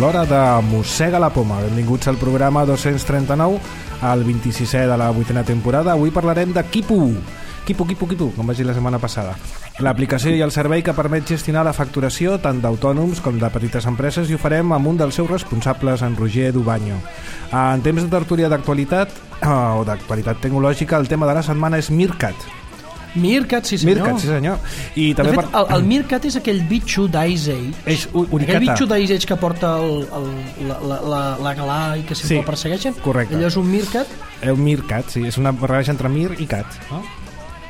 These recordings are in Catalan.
l'hora de Mossega la Poma. Benvinguts al programa 239, el 26è de la 8a temporada. Avui parlarem de Quipu, com vaig dir la setmana passada. L'aplicació i el servei que permet gestionar la facturació tant d'autònoms com de petites empreses, i ho farem amb un dels seus responsables, en Roger Dubaño. En temps de tertúlia d'actualitat o d'actualitat tecnològica, el tema de la setmana és Meerkat. Meerkat, sí senyor. Meerkat, sí senyor. I també de fet, el Meerkat és aquell bitxo d'Ice Age. Aquell bitxo d'Ice Age que porta la galà i que sempre el persegueixen. Correcte. Allò és un Meerkat? Un Meerkat, sí. És una barreja entre Mir i Cat, no?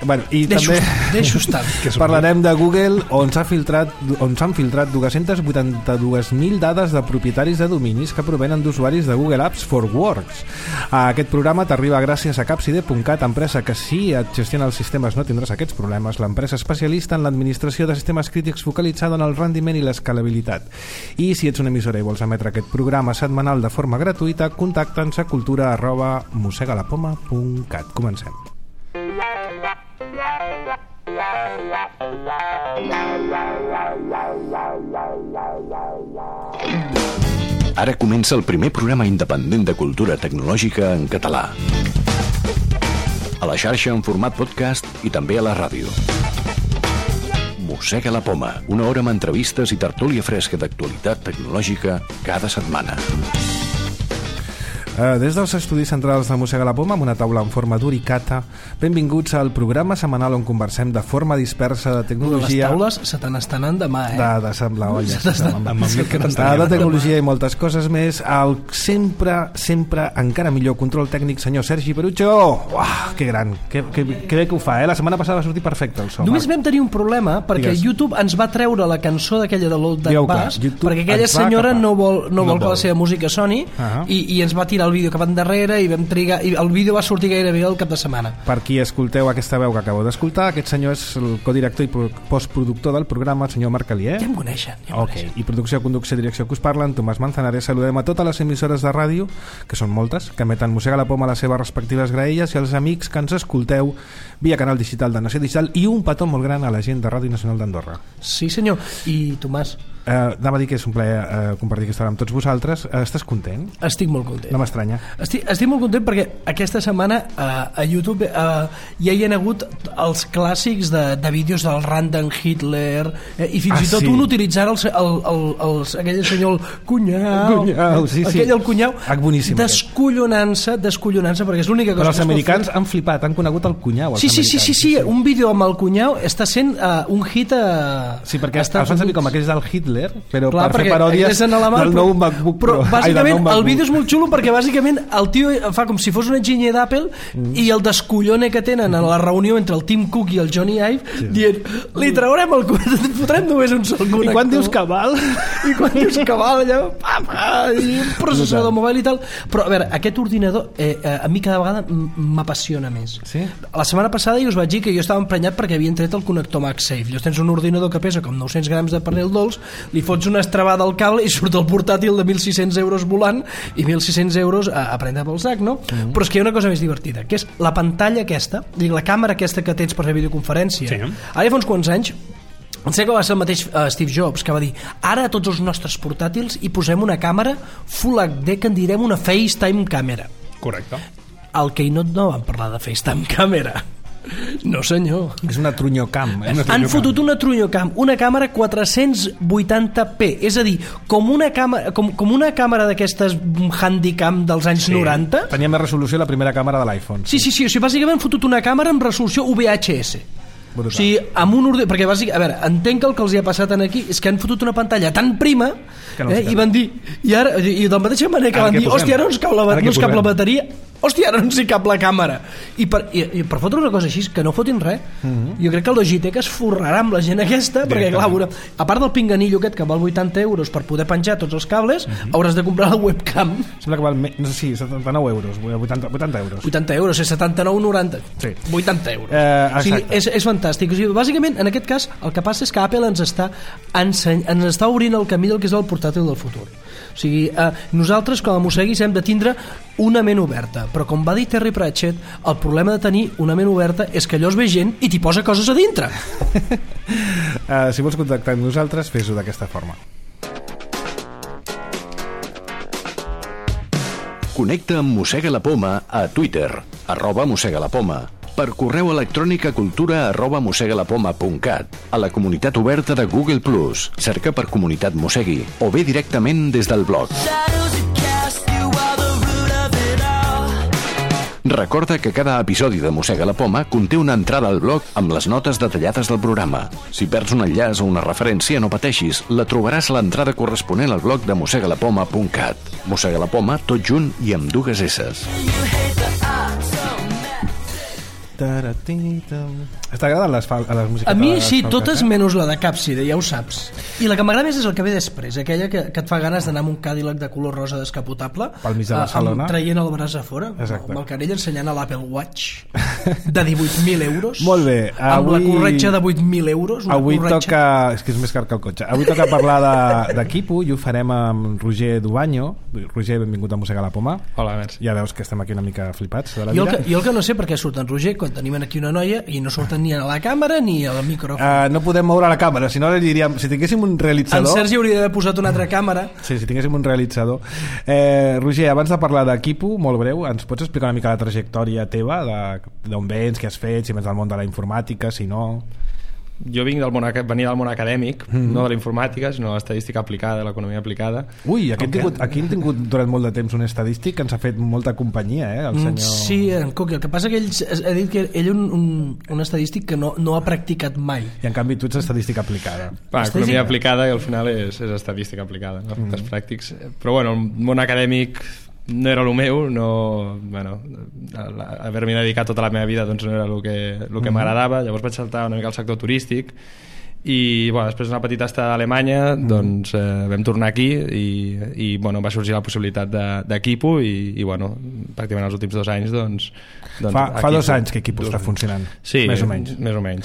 Bueno, i deixo estar. Parlarem de Google, on s'han filtrat 282.000 dades de propietaris de dominis que provenen d'usuaris de Google Apps for Works. Aquest programa t'arriba gràcies a Capside.cat, empresa que, si et gestiona els sistemes no tindràs aquests problemes. L'empresa especialista en l'administració de sistemes crítics focalitzada en el rendiment i l'escalabilitat. I si ets una emissora i vols emetre aquest programa setmanal de forma gratuïta, contacta'ns a cultura@mosegalapoma.cat. Comencem. Ara comença el primer programa independent de cultura tecnològica en català. A la xarxa en format podcast i també a la ràdio. Mossega la Poma, una hora amb entrevistes i tertúlia fresca d'actualitat tecnològica cada setmana. Des dels estudis centrals de Mossega la Poma, amb una taula en forma d'uricata, benvinguts al programa setmanal on conversem de forma dispersa de tecnologia. Les taules se te n'estan anant demà, De semblar olles. De tecnologia i moltes coses més. El sempre encara millor control tècnic, senyor Sergi Perucho. Uah, que gran, que bé que ho fa, La setmana passada va sortir perfecte el so. Només vam tenir un problema, perquè YouTube ens va treure la cançó d'aquella de l'Old Duck Bass, perquè aquella senyora no vol que la seva música soni, i ens va tirar el vídeo cap endarrere i vam trigar, i el vídeo va sortir gairebé el cap de setmana. Per qui escolteu aquesta veu que acabeu d'escoltar, aquest senyor és el codirector i postproductor del programa, el senyor Marc Alier. Ja em coneixen. I producció, conducció, direcció que us parlen, Tomàs Manzanares. Saludem a totes les emissores de ràdio, que són moltes, que emeten Mossega la Poma a les seves respectives graelles, i als amics que ens escolteu via canal digital de Nació Digital, i un petó molt gran a la gent de Ràdio Nacional d'Andorra. Sí senyor. I Tomàs, anava a dir que és un plaer compartir aquesta hora amb tots vosaltres. Estàs content? Estic molt content. No m'estranya. Estic molt content perquè aquesta setmana a YouTube ja hi ha hagut els clàssics de vídeos del Random Hitler, i fins i tot un utilitzant aquell senyor Cunyau, el Cunyau, descollonant-se perquè és l'única cosa. Però els americans han flipat, han conegut el Cunyau. Sí, un vídeo amb el Cunyau està sent un hit Sí, perquè els fan servir com aquells del Hitler, però clar, per fer paròdies del nou MacBook Pro. Però bàsicament el vídeo és molt xulo perquè bàsicament el tio fa com si fos un enginyer d'Apple i el descollone que tenen a la reunió entre el Tim Cook i el Johnny Ive dient, li traurem el fotrem només un sol connector. I quan dius que val? Allò, i un processador mòbil i tal. Però a veure, aquest ordinador a mi cada vegada m'apassiona més. Sí? La setmana passada jo us vaig dir que jo estava emprenyat perquè havien tret el connector MagSafe. Llavors tens un ordinador que pesa com 900 grams de pernil dolç, li fots una estrabada al cable i surt el portàtil de 1.600 euros volant i 1.600 euros a prendre pel sac, no? Però és que hi ha una cosa més divertida, que és la pantalla aquesta, la càmera aquesta que tens per fer videoconferència. Ara fa uns quants anys em sembla que va ser el mateix Steve Jobs que va dir, ara a tots els nostres portàtils hi posem una càmera Full HD que en direm una FaceTime càmera. Correcte. Al Keynote no van parlar de FaceTime càmera. No senyor, és una trunyocam. Han fotut una trunyocam, una càmera 480p, és a dir, com una càmera d'aquestes Handycam dels anys 90. Tenia més resolució la primera càmera de l'iPhone. Sí, o sigui, bàsicament han fotut una càmera amb resolució VHS. Brutal. O sigui, amb un ordinador, perquè bàsicament, a veure, entenc que el que els hi ha passat aquí és que han fotut una pantalla tan prima i van dir, i de la mateixa manera que van dir, hòstia, ara no ens cap la bateria, hòstia, ara no ens hi cap la càmera, i per fotre una cosa així que no fotin res, jo crec que el Logitech es forrarà amb la gent aquesta, perquè clar, a part del pinganillo aquest que val 80 euros per poder penjar tots els cables, hauràs de comprar la webcam. Sembla que val, no sé si 79 euros, 80 euros. 80 euros, és 79,90. Sí. 80 euros. O sigui, és fantàstic. O sigui, bàsicament, en aquest cas, el que passa és que Apple ens està obrint el camí del que és el portàtil del futur. O sigui, nosaltres com a mosseguis hem de tindre una ment oberta, però com va dir Terry Pratchett, el problema de tenir una ment oberta és que allò es ve gent i t'hi posa coses a dintre. Si vols contactar amb nosaltres, fes-ho d'aquesta forma. Connecta amb Mossega la Poma a Twitter, @mossegalapoma, per correu electrònic a cultura@mossegalapoma.cat, a la comunitat oberta de Google+, cerca per Comunitat Mossegui, o bé directament des del blog. Recorda que cada episodi de Mossega la Poma conté una entrada al blog amb les notes detallades del programa. Si perds un enllaç o una referència, no pateixis, la trobaràs a l'entrada corresponent al blog de mossegalapoma.cat. Mossega la Poma, tot junt i amb 2 esses. T'agraden les músiques? A mi sí, totes menys la de Capside, ja ho saps. I la que m'agrada més és el que ve després, aquella que et fa ganes d'anar amb un Cadillac de color rosa descapotable pel mig de Barcelona, traient el braç a fora, amb el canell ensenyant a l'Apple Watch de 18.000 euros. Molt bé, amb la corretja de 8.000 euros. Avui toca... És que és més car que el cotxe. Avui toca parlar de Quipu i ho farem amb Roger Dubanyo. Roger, benvingut a Mossega la Poma. Hola, merci. Ja veus que estem aquí una mica flipats de la vida. Jo el que no sé per què surt en Roger quan tenim aquí una noia i no surten ni a la càmera ni al micròfon. No podem moure la càmera, si no li diríem, si tinguéssim un realitzador... En Sergi hauria d'haver posat una altra càmera. Sí, si tinguéssim un realitzador. Roger, abans de parlar de Quipu, molt breu, ens pots explicar una mica la trajectòria teva, d'on vens, què has fet, si vens del món de la informàtica, si no... Jo venia del món acadèmic, no de la informàtica, sinó de l'estadística aplicada, de l'economia aplicada. Ui, aquí hem tingut durant molt de temps un estadístic que ens ha fet molta companyia, el senyor... Sí, en Coqui. El que passa que ell ha dit que ell un estadístic que no ha practicat mai. I en canvi tu ets estadística aplicada. Economia aplicada i al final és estadística aplicada, no? Els pràctics. Però bueno, el món acadèmic no era el meu, haver-m'hi dedicat tota la meva vida doncs no era el que m'agradava. Llavors vaig saltar una mica al sector turístic i després d'una petita estada a Alemanya doncs vam tornar aquí i va sorgir la possibilitat de Quipu i pràcticament els últims 2 anys fa 2 anys que Quipu està funcionant, sí, més o menys,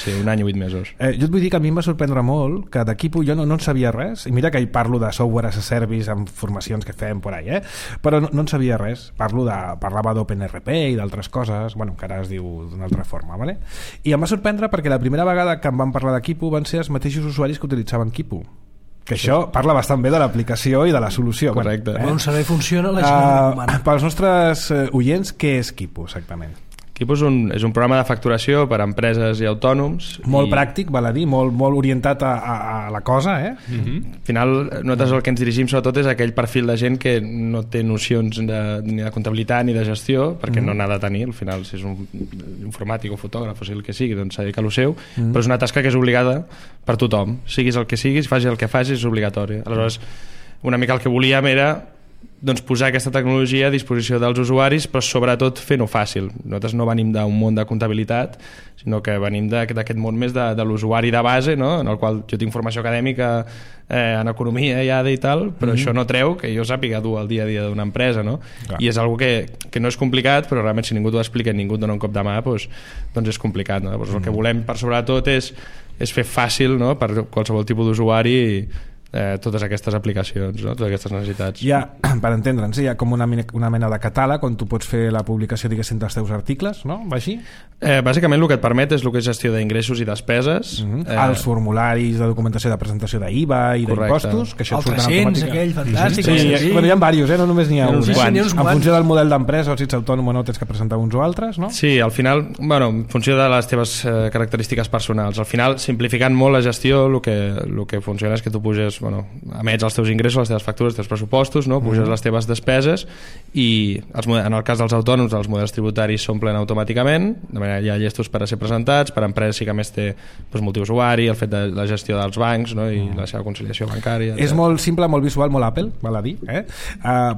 sí, 1 any i 8 mesos. Jo et vull dir que a mi em va sorprendre molt que de Quipu jo no en sabia res, i mira que hi parlo de software as a service amb formacions que fem por ahí, però no en sabia res. Parlava d'OpenRP i d'altres coses, que ara es diu d'una altra forma, vale? I em va sorprendre perquè la primera vegada que em van parlar de Quipu van ser els mateixos usuaris que utilitzaven Quipu, que això parla bastant bé de l'aplicació i de la solució. Correcte. On saber funciona la gent humana. Pels nostres oients, què és Quipu exactament? Quipu és un programa de facturació per a empreses i autònoms. Molt pràctic, val a dir, molt orientat a la cosa, Al final, nosaltres el que ens dirigim sobretot és aquell perfil de gent que no té nocions ni de comptabilitat ni de gestió, perquè no n'ha de tenir, al final, si és un informàtic o fotògraf o sigui el que sigui, doncs s'ha de dedicar a lo seu, però és una tasca que és obligada per tothom. Siguis el que siguis, facis el que facis, és obligatori. Aleshores, una mica el que volíem era posar aquesta tecnologia a disposició dels usuaris, però sobretot fent-ho fàcil. Nosaltres no venim d'un món de comptabilitat, sinó que venim d'aquest món més de l'usuari de base, no? En el qual jo tinc formació acadèmica en economia i tal, però això no treu que jo sàpiga dur el dia a dia d'una empresa, no? I és algo que no és complicat, però realment si ningú t'ho explica i ningú et dona un cop de mà, doncs és complicat, no? El que volem per sobretot és fer fàcil, no? Per qualsevol tipus d'usuari totes aquestes aplicacions, no? Totes aquestes necessitats. Per entendre'ns, hi ha com una mena de catàleg on tu pots fer la publicació, diguéssim, dels teus articles, no? Va així? Bàsicament el que et permet és el que és gestió d'ingressos i despeses. Els formularis de documentació de presentació d'IVA i d'impostos, que això el 300, aquell, fantàstic. Sí, hi ha diversos, no només n'hi ha un. En funció del model d'empresa, o si ets autònom o no, tens que presentar uns o altres, no? Sí, al final, en funció de les teves característiques personals. Al final, simplificant molt la gestió, el que funciona és que tu puges, emets els teus ingressos, les teves factures, els teus pressupostos, no? Puges les teves despeses i en el cas dels autònoms els models tributaris s'omplen automàticament, de manera hi ha llestos per a ser presentats, per a empreses sí que més té multiusuari, el fet de la gestió dels bancs, no? I la seva conciliació bancària. És molt simple, molt visual, molt Apple, val a dir,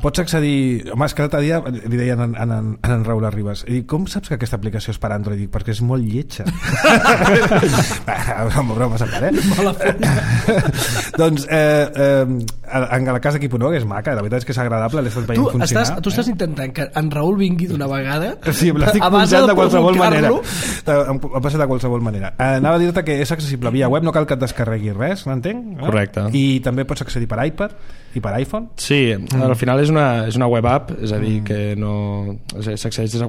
pots accedir... Home, és que l'altre dia li deien en Raül Arribas, i com saps que aquesta aplicació és per Android? Dic, perquè és molt lletja. Bromes a part, Mala forma. Doncs en la casa Quipu no, que és maca, la veritat és que és agradable, l'he estat veient funcionar. Tu estàs intentant que en Raül vingui d'una vegada, sí, l'estic punxant de qualsevol manera, em passa de qualsevol manera. Anava a dir-te que és accessible via web, no cal que et descarregui res, n'entenc? Correcte. I també pots accedir per iPad i per iPhone? Sí, al final és una web app, és a dir, que s'accedeix des de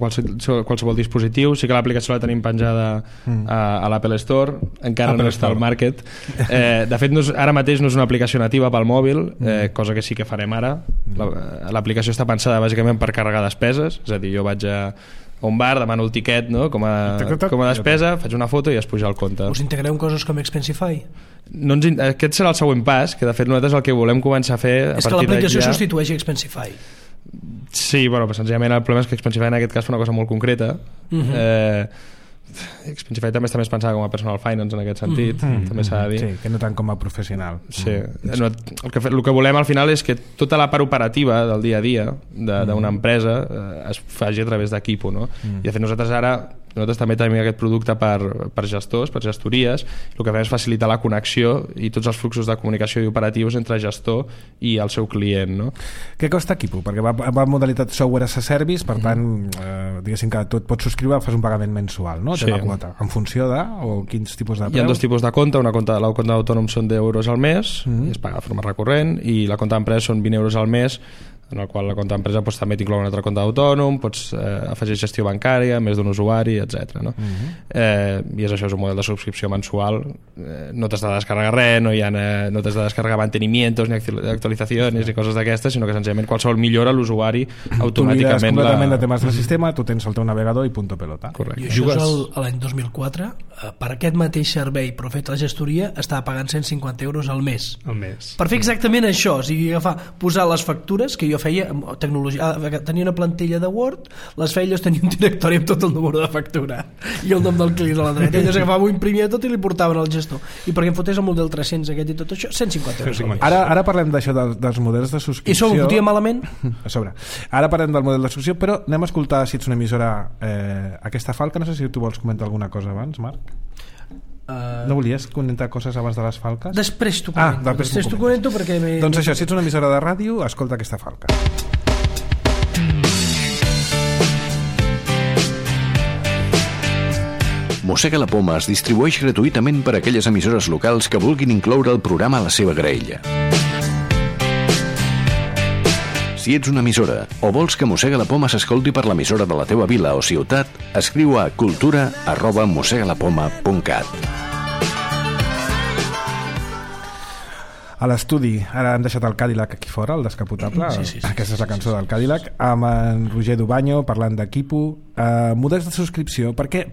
qualsevol dispositiu. Sí que l'aplicació la tenim penjada a l'Apple Store, encara no està al market. De fet, ara mateix no és una aplicació nativa pel mòbil, mail, cosa que sí que farem ara. L'aplicació està pensada bàsicament per carregar despeses, és a dir, jo vaig a un bar, demano el tiquet, no? com a despesa, faig una foto i es puja al compte. Us integreu en coses com Expensify? Aquest serà el següent pas, que de fet nosaltres el que volem començar a fer és que l'aplicació substitueixi Expensify. Sí, però senzillament el problema és que Expensify en aquest cas fa una cosa molt concreta. Expensify també està més pensada com a personal finance en aquest sentit, també s'ha de dir. Sí, que no tant com a professional. Sí. El que volem al final és que tota la part operativa del dia a dia d'una empresa es faci a través d'Equipo, no? I de fet nosaltres també tenim aquest producte per gestors, per gestories. El que fem és facilitar la connexió i tots els fluxos de comunicació i operatius entre gestor i el seu client, no? Què costa Equipo? Perquè va en modalitat software as a service, per tant, diguéssim que tu et pots subscriure, fas un pagament mensual, no? Sí. Té la quota. En funció de, o quins tipus de preus? Hi ha dos tipus de compte. La compte d'autònom són €10 al mes, i es paga de forma recurrent, i la compte d'empresa són €20 al mes, en el qual la compte d'empresa també t'inclou una altra compte d'autònom, pots afegir gestió bancària, més d'un usuari, etc. No? I és això, és un model de subscripció mensual. No t'has de descarregar res, no t'has de descarregar mantenimientos ni actualitzacions ni coses d'aquestes, sinó que senzillament qualsevol millora l'usuari automàticament... Tu mires completament de temes del sistema, tu tens el teu navegador i punto pelota. Correcte. I això és l'any 2004. Per aquest mateix servei, però fet a la gestoria, estava pagant €150 al mes. Per fer exactament això, o sigui, posar les factures, que jo feia tecnologia, tenia una plantilla de Word, les feia, tenia un directori amb tot el número de factura i el nom del client a la dreta, elles agafava, ho imprimia tot i li portaven al gestor, i perquè em fotés el model 300 aquest i tot això, €150. Ara parlem d'això dels models de subscripció. I això ho fotia malament? A sobre. Ara parlem del model de subscripció, però anem a escoltar, si ets una emissora, aquesta falca. No sé si tu vols comentar alguna cosa abans, Marc. No volies comentar coses abans de les falques? Després t'ho comento. Després t'ho comento perquè... Doncs això, si ets una emissora de ràdio, escolta aquesta falca. Mossega la Poma es distribueix gratuïtament per a aquelles emissores locals que vulguin incloure el programa a la seva graella. Si ets una emissora o vols que Mossega la Poma s'escolti per l'emissora de la teva vila o ciutat, escriu a cultura@mossegalapoma.cat. A l'estudi, ara hem deixat el Cadillac aquí fora, el descapotable. Sí. Aquesta és la cançó del Cadillac, amb en Roger Dubaño parlant d'Equipo. Models de subscripció, per què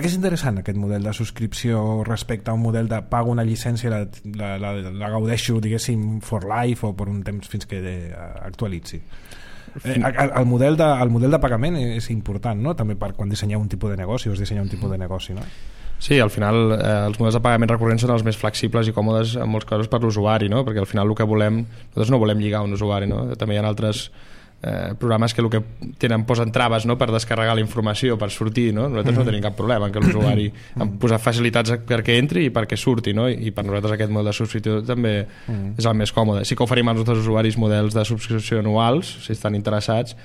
és interessant aquest model de subscripció respecte a un model de pago una llicència i la gaudeixo, diguéssim, for life o per un temps fins que actualitzi? El model de pagament és important, no? També per quan dissenyeu un tipus de negoci o es dissenya un tipus de negoci, no? Sí, al final els models de pagament recurrents són els més flexibles i còmodes en molts casos per l'usuari, no? Perquè al final el que nosaltres no volem lligar un usuari, no? També hi ha altres programes que el que posen traves, no? Per descarregar la informació, per sortir, no? Nosaltres no tenim cap problema en que l'usuari posar facilitats perquè entri i perquè surti, no? I per nosaltres aquest model de subscripció també és el més còmode. Sí que oferim als nostres usuaris models de subscripció anuals, si estan interessats,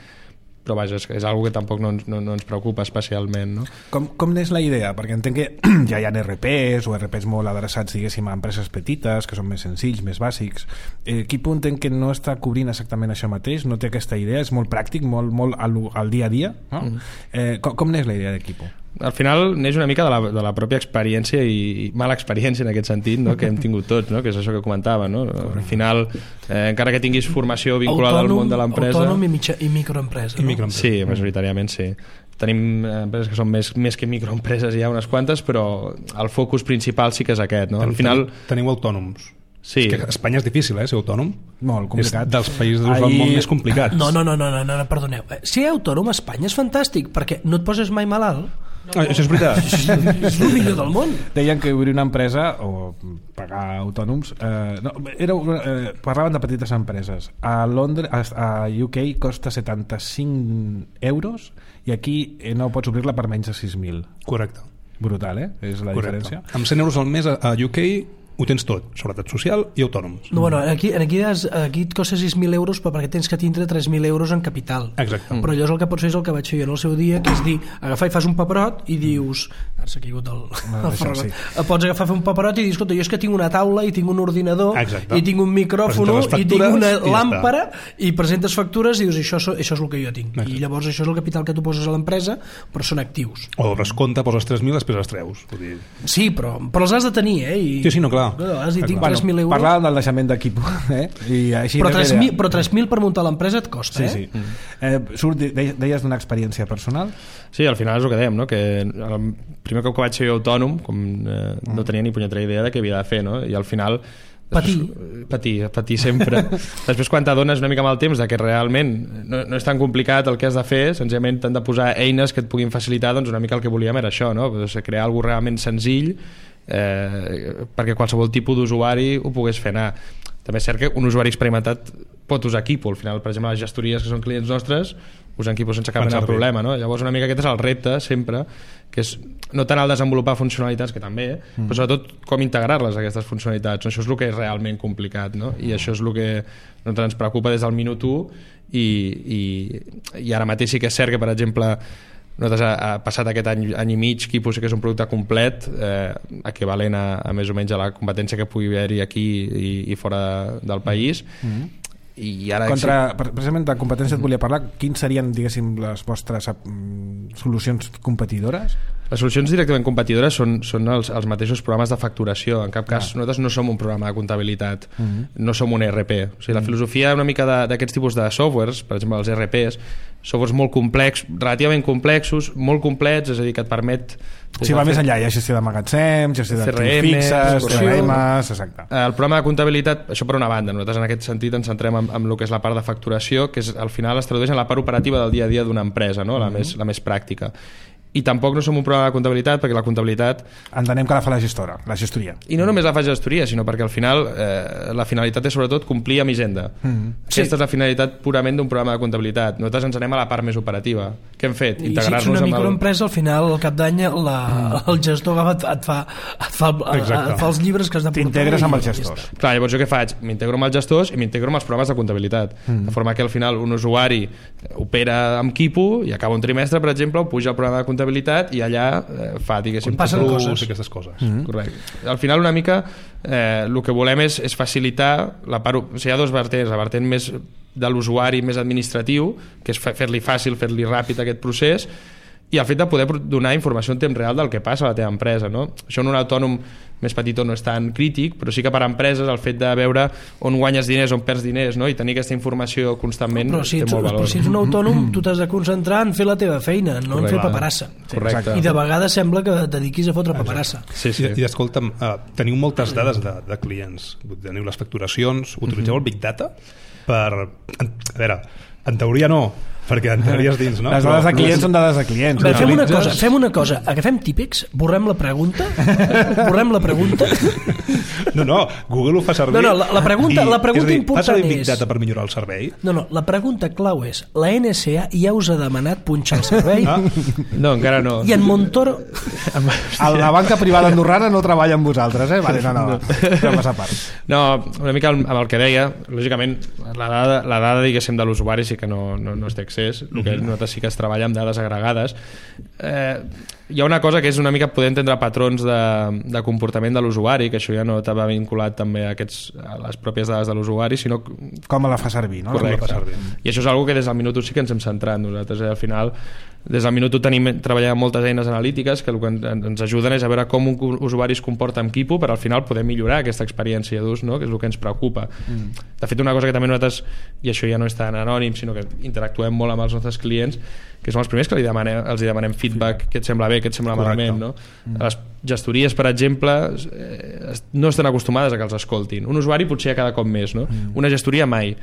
però vaja, és una que tampoc no ens preocupa especialment, no? Com n'és la idea? Perquè entenc que ja hi ha RPs o RPs molt adreçats, diguéssim, a empreses petites, que són més senzills, més bàsics. Equipo entenc que no està cobrint exactament això mateix, no té aquesta idea, és molt pràctic, molt al dia a dia, no? Com n'és la idea d'Equipo? Al final neix una mica de la pròpia experiència i mala experiència en aquest sentit, no? Que hem tingut tots, no? Que és això que comentava, no? Al final, encara que tinguis formació vinculada al món de l'empresa... Autònom i microempresa, no? Sí, majoritàriament sí. Tenim empreses que són més que microempreses, hi ha unes quantes, però el focus principal sí que és aquest, no? Al final... Teniu autònoms. Sí. És que a Espanya és difícil, ser autònom. Molt complicat. És dels països del món més complicats. No, perdoneu. Ser autònom a Espanya és fantàstic, perquè no et poses mai malalt. Això és veritat. És el millor del món. Deien que obrir una empresa o pagar autònoms parlaven de petites empreses. A Londres, a UK costa 75 euros i aquí no pots obrir-la per menys de 6.000. Correcte. Brutal, és la diferència. Amb 100 euros al mes a UK ho tens tot, seguretat social i autònoms. No, bueno, aquí et costa 6.000 euros perquè tens que tindre 3.000 euros en capital. Exacte. Però allò és el que pots fer, és el que vaig fer jo en el seu dia, que és dir, agafar i fas un paperot i dius... Ara s'ha caigut el ferrat. Pots agafar, fer un paperot i dir, escolta, jo és que tinc una taula i tinc un ordinador. Exacte. I tinc un micròfon i tinc una làmpara i presentes factures i dius, això és el que jo tinc. Exacte. I llavors això és el capital que tu poses a l'empresa, però són actius. O descompte, poses 3.000, després els treus. Sí, però els has de tenir, Sí, no, clar. clar. Has dit, tinc 3.000 euros. Parlàvem del deixament d'equip, I així però 3.000 per muntar l'empresa et costa, sí. Deies d'una experiència personal? Sí, al final és el que dèiem, no? Que el primer cop que vaig ser autònom, com no tenia ni punyetera idea de què havia de fer, no? I al final patir sempre. Després, quan t'adones una mica amb el temps de que realment no és tan complicat el que has de fer, senzillament t'han de posar eines que et puguin facilitar, doncs una mica el que volíem era això, no? Crear alguna cosa realment senzill perquè qualsevol tipus d'usuari ho pogués fer anar. També és cert que un usuari experimentat pot usar Kipo. Al final, per exemple, les gestories que són clients nostres usen Kipo sense cap mena de problema, no? Llavors una mica aquest és el repte sempre, que és no tant el desenvolupar funcionalitats, que també, però sobretot com integrar-les, aquestes funcionalitats. Això és el que és realment complicat, no? I això és el que ens preocupa des del minut 1 i ara mateix sí que és cert que, per exemple, nosaltres ha passat aquest any i mig Kipo sí que és un producte complet, equivalent a més o menys a la competència que pugui haver-hi aquí i fora del país. I ara precisament de competència et volia parlar. Quins serien, diguéssim, les vostres solucions competidores? Les solucions directament competidores són els mateixos programes de facturació. En cap cas nosaltres no som un programa de comptabilitat, no som un ERP. O sigui, la filosofia una mica d'aquests tipus de softwares, per exemple els ERPs, softwares molt complexos, relativament complexos, molt complets, és a dir, que et permet... Sí, va més enllà, hi ha gestió de magatzem, gestió d'actius fixes, CRMs, exacte. El programa de comptabilitat, això per una banda, nosaltres en aquest sentit ens centrem en el que és la part de facturació, que al final es tradueix en la part operativa del dia a dia d'una empresa, no? La més pràctica. I tampoc no som un programa de comptabilitat, perquè la comptabilitat... Entenem que la fa la gestora, la gestoria. I no només la fa gestoria, sinó perquè al final la finalitat és sobretot complir amb Hisenda. Aquesta és la finalitat purament d'un programa de comptabilitat. Nosaltres ens anem a la part més operativa. Què hem fet? Integrar-nos amb... I si ets una microempresa, al final, al cap d'any, el gestor et fa els llibres que has de portar. T'integres amb els gestors. Clar, llavors jo què faig? M'integro amb els gestors i m'integro amb els programes de comptabilitat. De forma que al final un usuari opera amb Kipo i acaba un trimestre, per exemple, o puja al programa de comptabilitat i allà fa, diguéssim, passen coses. Aquestes coses. Correcte. Al final una mica el que volem és facilitar la part, o sigui, hi ha dos vertents, la vertent més de l'usuari, més administratiu, que és fer-li fàcil, fer-li ràpid aquest procés, i el fet de poder donar informació en temps real del que passa a la teva empresa, no? Això en un autònom més petit no és tan crític, però sí que per a empreses el fet de veure on guanyes diners, on perds diners, no? I tenir aquesta informació constantment té molt valor. Però si ets un autònom tu t'has de concentrar en fer la teva feina, no en fer paperassa. Correcte. I de vegades sembla que et dediquis a fotre paperassa. Sí. I escolta'm, teniu moltes dades de clients, teniu les facturacions, utilitzeu el Big Data per... A veure, en teoria no, perquè entraries dins, no? Les dades de clients són dades de clients. Bé, fem una cosa, agafem Típex, borrem la pregunta. No, Google ho fa servir. No, la pregunta important fas el Big Data per millorar el servei? No, la pregunta clau és, la NSA ja us ha demanat punxar el servei? No, encara no. I en Montoro... La banca privada andorrana no treballa amb vosaltres, eh? Vale, no. Passa a part. No, una mica amb el que deia, lògicament, la dada diguéssim, de l'usuari sí que no es té accés, el que nosaltres sí que es treballa amb dades agregades. Hi ha una cosa que és una mica poder entendre patrons de comportament de l'usuari, que això ja no estava vinculat també a les pròpies dades de l'usuari, sinó... Com la fa servir, no? Correcte. I això és una que des del minut 1 sí que ens hem centrat nosaltres. Al final, des del minut 1 treballem moltes eines analítiques que el que ens ajuden és a veure com un usuari es comporta amb Kipo per al final poder millorar aquesta experiència d'ús, no? Que és el que ens preocupa. De fet, una cosa que també nosaltres, i això ja no és tan anònim, sinó que interactuem molt amb els nostres clients, que són els primers que els demanem feedback, què et sembla bé, què et sembla malament, no? Les gestories, per exemple, no estan acostumades a que els escoltin. Un usuari potser cada cop més, no? Una gestoria mai.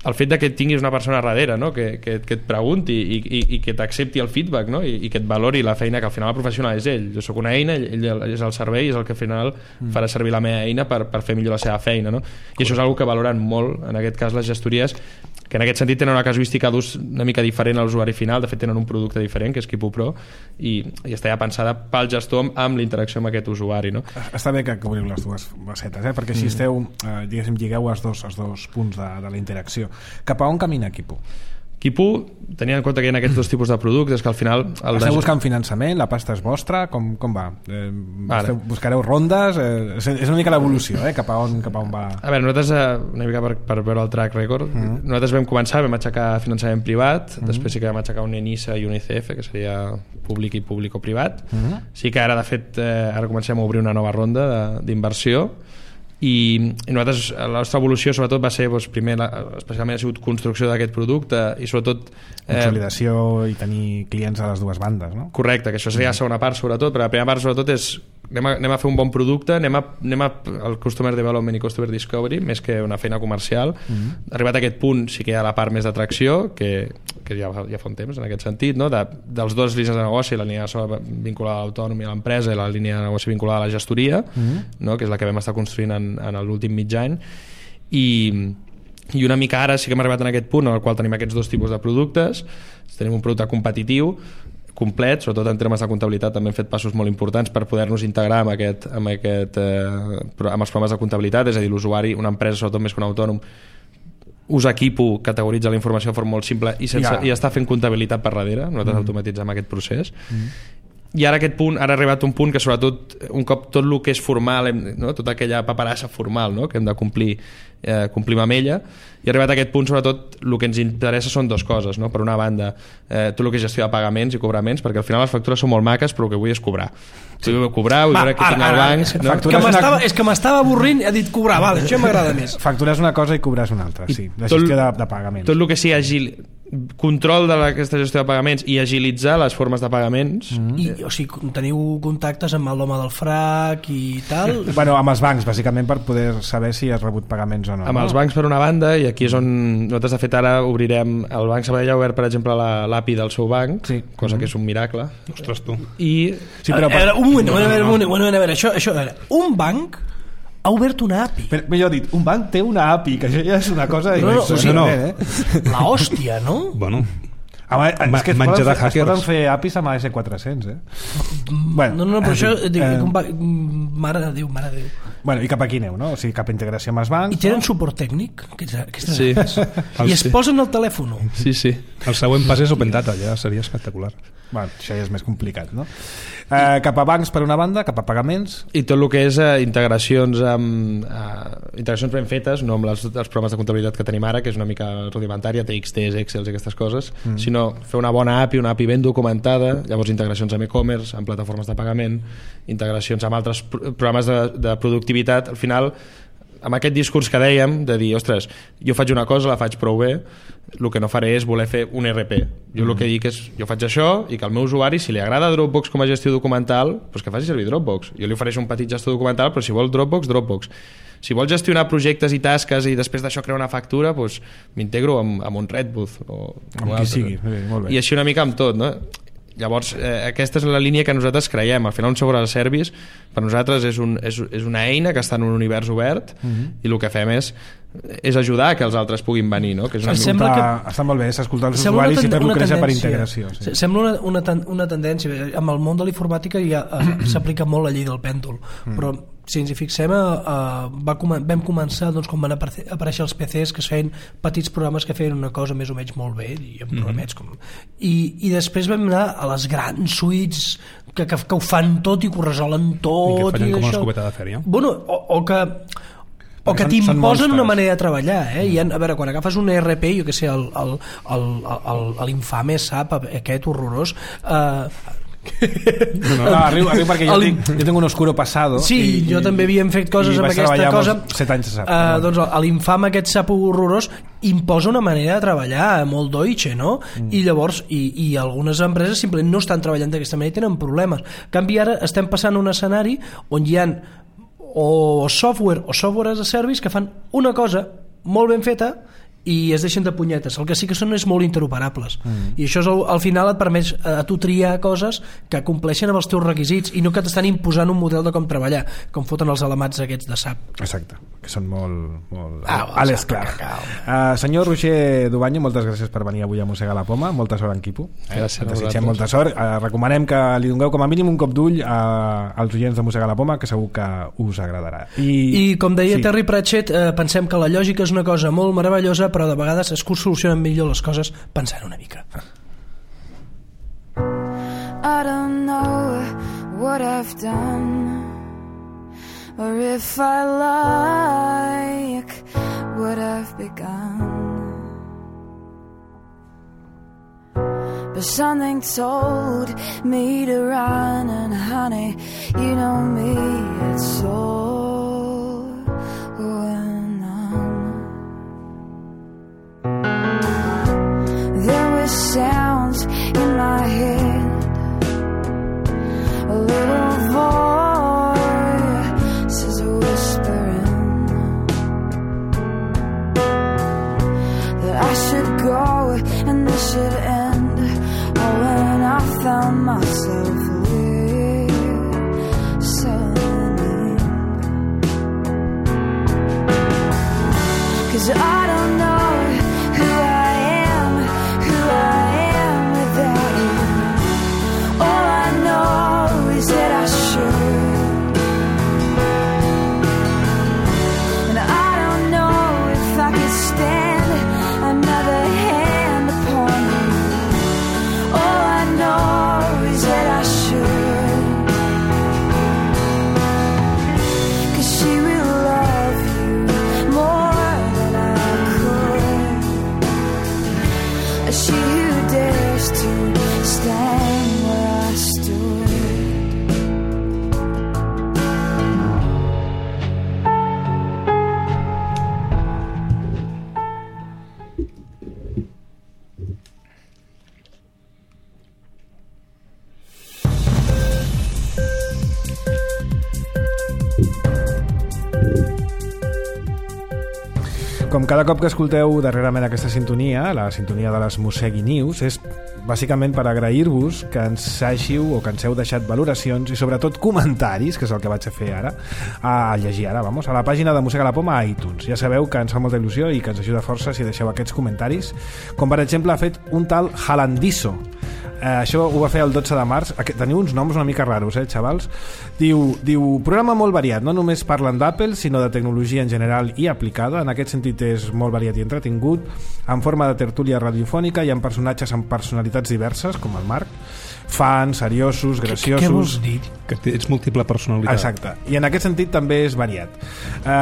El fet de que tinguis una persona darrere, no? que et pregunti i que t'accepti el feedback, no? I que et valori la feina, que al final el professional és ell. Jo sóc una eina, ell és el servei, és el que al final farà servir la meva eina per fer millor la seva feina, no? I això és una que valoren molt, en aquest cas les gestories, que en aquest sentit tenen una casuística d'ús una mica diferent a l'usuari final. De fet tenen un producte diferent, que és Kipo Pro, i està ja pensada pel gestor amb la interacció amb aquest usuari, no? Està bé que cobriu les dues facetes, perquè així esteu, diguéssim, lligueu els dos punts de la interacció. Cap a on camina Kipo? Quipu tenia en compte que hi ha aquests dos tipus de productes que al final... Esteu buscant finançament? La pasta és vostra? Com va? Buscareu rondes? És una mica l'evolució, cap a on va? A veure, nosaltres, una mica per veure el track record, nosaltres vam començar, vam aixecar finançament privat, després sí que vam aixecar un ENISA i un ICF, que seria públic i públic-privat. Sí que ara, de fet, ara comencem a obrir una nova ronda d'inversió, i nosaltres, la nostra evolució sobretot va ser, primer especialment ha sigut construcció d'aquest producte i sobretot consolidació i tenir clients a les dues bandes, no? Correcte, que això seria la segona part sobretot, però la primera part sobretot és anem a fer un bon producte, anem al Customer Development i Customer Discovery més que una feina comercial. Arribat a aquest punt sí que hi ha la part més d'atracció que ja fa un temps en aquest sentit, no? Dels dos línies de negoci, la línia vinculada a l'autònom i a l'empresa i la línia de negoci vinculada a la gestoria, no? Que és la que vam estar construint en l'últim mig any, i una mica ara sí que hem arribat en aquest punt en el qual tenim aquests dos tipus de productes. Tenim un producte competitiu complet, sobretot en termes de comptabilitat també hem fet passos molt importants per poder-nos integrar amb els programes de comptabilitat, és a dir, l'usuari, una empresa sobretot més que un autònom, usa Quipu, categoritza la informació de forma molt simple i està fent comptabilitat per darrere. Nosaltres automatitzem aquest procés. I ara ha arribat un punt que sobretot un cop tot el que és formal, no? Tota aquella paperassa formal, no? Que hem de complim amb ella, i ha arribat a aquest punt sobretot el que ens interessa són dues coses, no? Per una banda tot el que és gestió de pagaments i cobraments, perquè al final les factures són molt maques però el que vull és cobrar. Vull cobrar, vull veure què tinc al banc, no? És que m'estava avorrint, ha dit cobrar, vale, això m'agrada més. Facturar és una cosa i cobrar és una altra, sí, la gestió de pagaments. Tot el que sigui control d'aquesta gestió de pagaments i agilitzar les formes de pagaments. O sigui, teniu contactes amb l'home del FRAC i tal? Bueno, amb els bancs, bàsicament, per poder saber si has rebut pagaments o no. Amb els bancs per una banda, i aquí és on nosaltres de fet ara obrirem, el Banc Sabadell ha obert per exemple l'API del seu banc, cosa que és un miracle. Ostres, tu. Sí, però un moment, a veure, això, un banc ha obert una API. Però, millor dit, un banc té una API, que això ja és una cosa... No. La hòstia, no? Bueno, és que menjar de hackers. es poden fer APIs amb AS400, Bueno, no, però això... Mare de Déu. Bueno, i cap aquí aneu, no? O sigui, cap integració amb els bancs... I tenen suport tècnic? Sí. I es posen al telèfon? Sí. El següent pas és Open Data, ja seria espectacular. Bueno, això ja és més complicat, no? Cap a bancs per una banda, cap a pagaments... I tot el que és integracions ben fetes, no amb els programes de comptabilitat que tenim ara, que és una mica rudimentària, TXTs, Excels i aquestes coses, sinó fer una bona API, una API ben documentada, llavors integracions amb e-commerce, amb plataformes de pagament, integracions amb altres programes de productivitat. Al final, amb aquest discurs que dèiem de dir, ostres, jo faig una cosa, la faig prou bé, el que no faré és voler fer un RP. Jo el que dic és, jo faig això i que al meu usuari, si li agrada Dropbox com a gestió documental, doncs que faci servir Dropbox. Jo li ofereixo un petit gestor documental, però si vol Dropbox. Si vol gestionar projectes i tasques i després d'això crear una factura, doncs m'integro amb un Redbooth o amb qui sigui. Molt bé. I així una mica amb tot, no? Llavors, aquesta és la línia que nosaltres creiem. Al final, un software as a service per nosaltres és una eina que està en un univers obert i el que fem és ajudar que els altres puguin venir, no? Que és està molt bé, escoltar els usuaris i fer-lo créixer per integració. Sembla una tendència. Amb el món de la informàtica ja s'aplica molt la llei del pèndol, però si ens hi fixem, vam començar quan van aparèixer els PCs, que es feien petits programes que feien una cosa més o menys molt bé i amb programets i després vam anar a les grans suites que ho fan tot i que ho resolen tot i que fallen com una escopeta de fèria. Bueno, o que t'imposen una manera de treballar, I a veure, quan agafes un ERP, jo que sé, l'infame SAP aquest horrorós, arribo perquè jo tinc un oscuro passado. Sí, jo també havíem fet coses amb aquesta cosa. 7 anys de SAP. Doncs l'infame aquest SAP horrorós imposa una manera de treballar molt deutsche, no? I llavors i algunes empreses simplement no estan treballant d'aquesta manera i tenen problemes. En canvi, ara estem passant un escenari on hi ha o software as a service que fan una cosa molt ben feta i es deixen de punyetes. El que sí que són és molt interoperables i això al final et permet a tu triar coses que compleixen amb els teus requisits i no que t'estan imposant un model de com treballar, com foten els alamats aquests de SAP. Exacte, que són molt a l'esclar. Senyor Roger Dubanyo, moltes gràcies per venir avui a mossegar la poma. Molta sort en Quipu. Gràcies. Desitgem molta sort. Recomanem que li dongueu com a mínim un cop d'ull als oients de mossegar la poma, que segur que us agradarà. I com deia Terry Pratchett, pensem que la lògica és una cosa molt meravellosa, però de vegades es solucionen millor les coses pensant una mica. I don't know what I've done, or if I like what I've begun, but something told me to run, and honey, you know me, it's all or none. There were sounds in my head, a little voice is whispering that I should go and this should end. Oh, when I found myself listening, 'cause I don't know who I am without you. All I know is that I should, and I don't know if I could stand another hand upon you. All I know is that I should, 'cause she will love you more than I could, she who dares to stand where I stood. Com cada cop que escolteu darrerament aquesta sintonia, la sintonia de les Mosegui News, és bàsicament per agrair-vos que ens hàgiu o que ens heu deixat valoracions i sobretot comentaris, que és el que vaig a fer ara, a llegir ara, vamos, a la pàgina de Mossega la Poma a iTunes. Ja sabeu que ens fa molta il·lusió i que ens ajuda força si deixeu aquests comentaris, com per exemple ha fet un tal Jalandiso. Això ho va fer el 12 de març. Teniu uns noms una mica raros, xavals. Diu, programa molt variat, no només parlen d'Apple, sinó de tecnologia en general i aplicada. En aquest sentit és molt variat i entretingut, en forma de tertúlia radiofònica i amb personatges amb personalitats diverses, com el Marc, fans, seriosos, graciosos. Què vols dir? Que ets múltiple personalitat. Exacte, i en aquest sentit també és variat.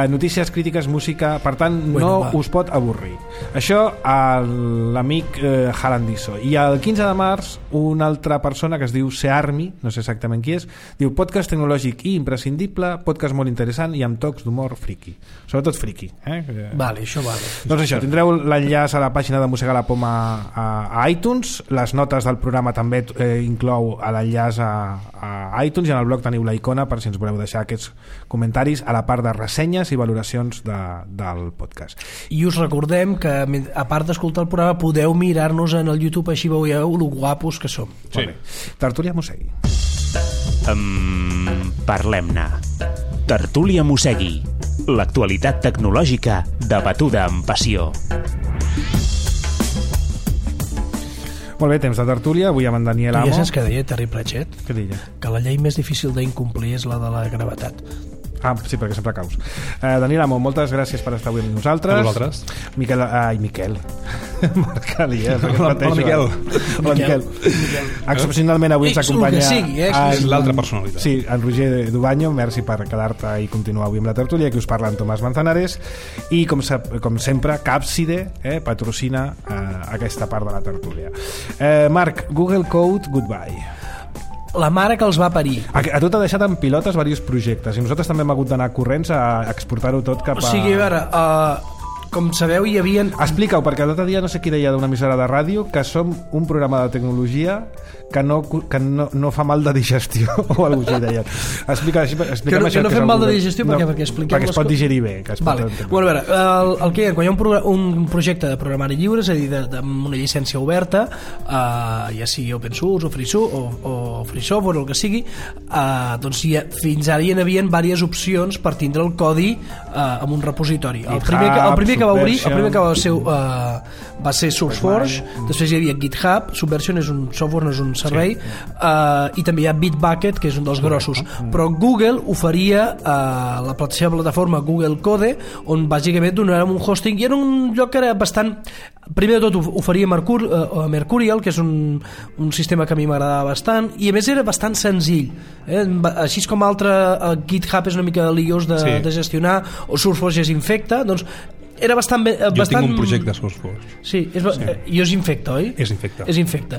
Notícies, crítiques, música, per tant us pot avorrir. Això a l'amic Jalandiso. I el 15 de març una altra persona que es diu Searmi, no sé exactament qui és, diu podcast tecnològic i imprescindible, podcast molt interessant i amb tocs d'humor friki, sobretot friki, Vale, això vale. Doncs això, tindreu l'enllaç a la pàgina de Mossega la Poma a iTunes, les notes del programa també inclou l'enllaç a iTunes, i en el blog teniu la icona per si ens voleu deixar aquests comentaris a la part de ressenyes i valoracions del podcast. I us recordem que a part d'escoltar el programa podeu mirar-nos en el YouTube, així veieu lo guapos que som. Sí. Tertúlia Mossegui. Parlem-ne. Tertúlia Mossegui. L'actualitat tecnològica debatuda amb passió. Molt bé, temps de tertúlia, avui amb en Daniel Amo. Tu ja saps què deia Terry Pratchett? Què deia? Que la llei més difícil d'incomplir és la de la gravetat. Ah, sí, perquè sempre caus. Daniel Amo, moltes gràcies per estar avui amb nosaltres. A vosaltres. Miquel. Marc Ali, Hola, Miquel. Hola, Miquel. Excepcionalment avui ens acompanya... És l'altra personalitat. Sí, en Roger Dubaño, merci per quedar-te i continuar avui amb la tertúlia. Aquí us parla en Tomàs Manzanares. I, com sempre, Capside patrocina aquesta part de la tertúlia. Marc, Google Code, goodbye. La mare que els va parir. A tu t'ha deixat en pilotes diversos projectes i nosaltres també hem hagut d'anar corrents a exportar-ho tot cap a... O sigui, a veure, com sabeu hi havia... Explica-ho, perquè l'altre dia no sé qui deia d'una emissora de ràdio que som un programa de tecnologia que no fa mal de digestió o alguna cosa deien. Explica'm això. Que no fem mal de digestió perquè expliquem... Perquè es pot digerir bé. Vale. Bueno, a veure, el que hi ha, quan hi ha un projecte de programari lliure, és a dir, amb una llicència oberta, ja sigui open source o free software o el que sigui, doncs fins ara hi havia diverses opcions per tindre el codi en un repositori. El primer que va obrir, el primer que va ser SourceForge, després hi havia GitHub, Subversion és un software, no és un servei, i també hi ha Bitbucket, que és un dels grossos, però Google oferia la seva plataforma Google Code, on bàsicament donàvem un hosting, i era un lloc que era bastant... Primer de tot oferia Mercurial, que és un sistema que a mi m'agradava bastant, i a més era bastant senzill, així com GitHub és una mica liós de gestionar, o SourceForge és infecta, doncs era bastant... Jo tinc un projecte de SourceForge. Sí, jo és infecta, oi? És infecta. És infecta.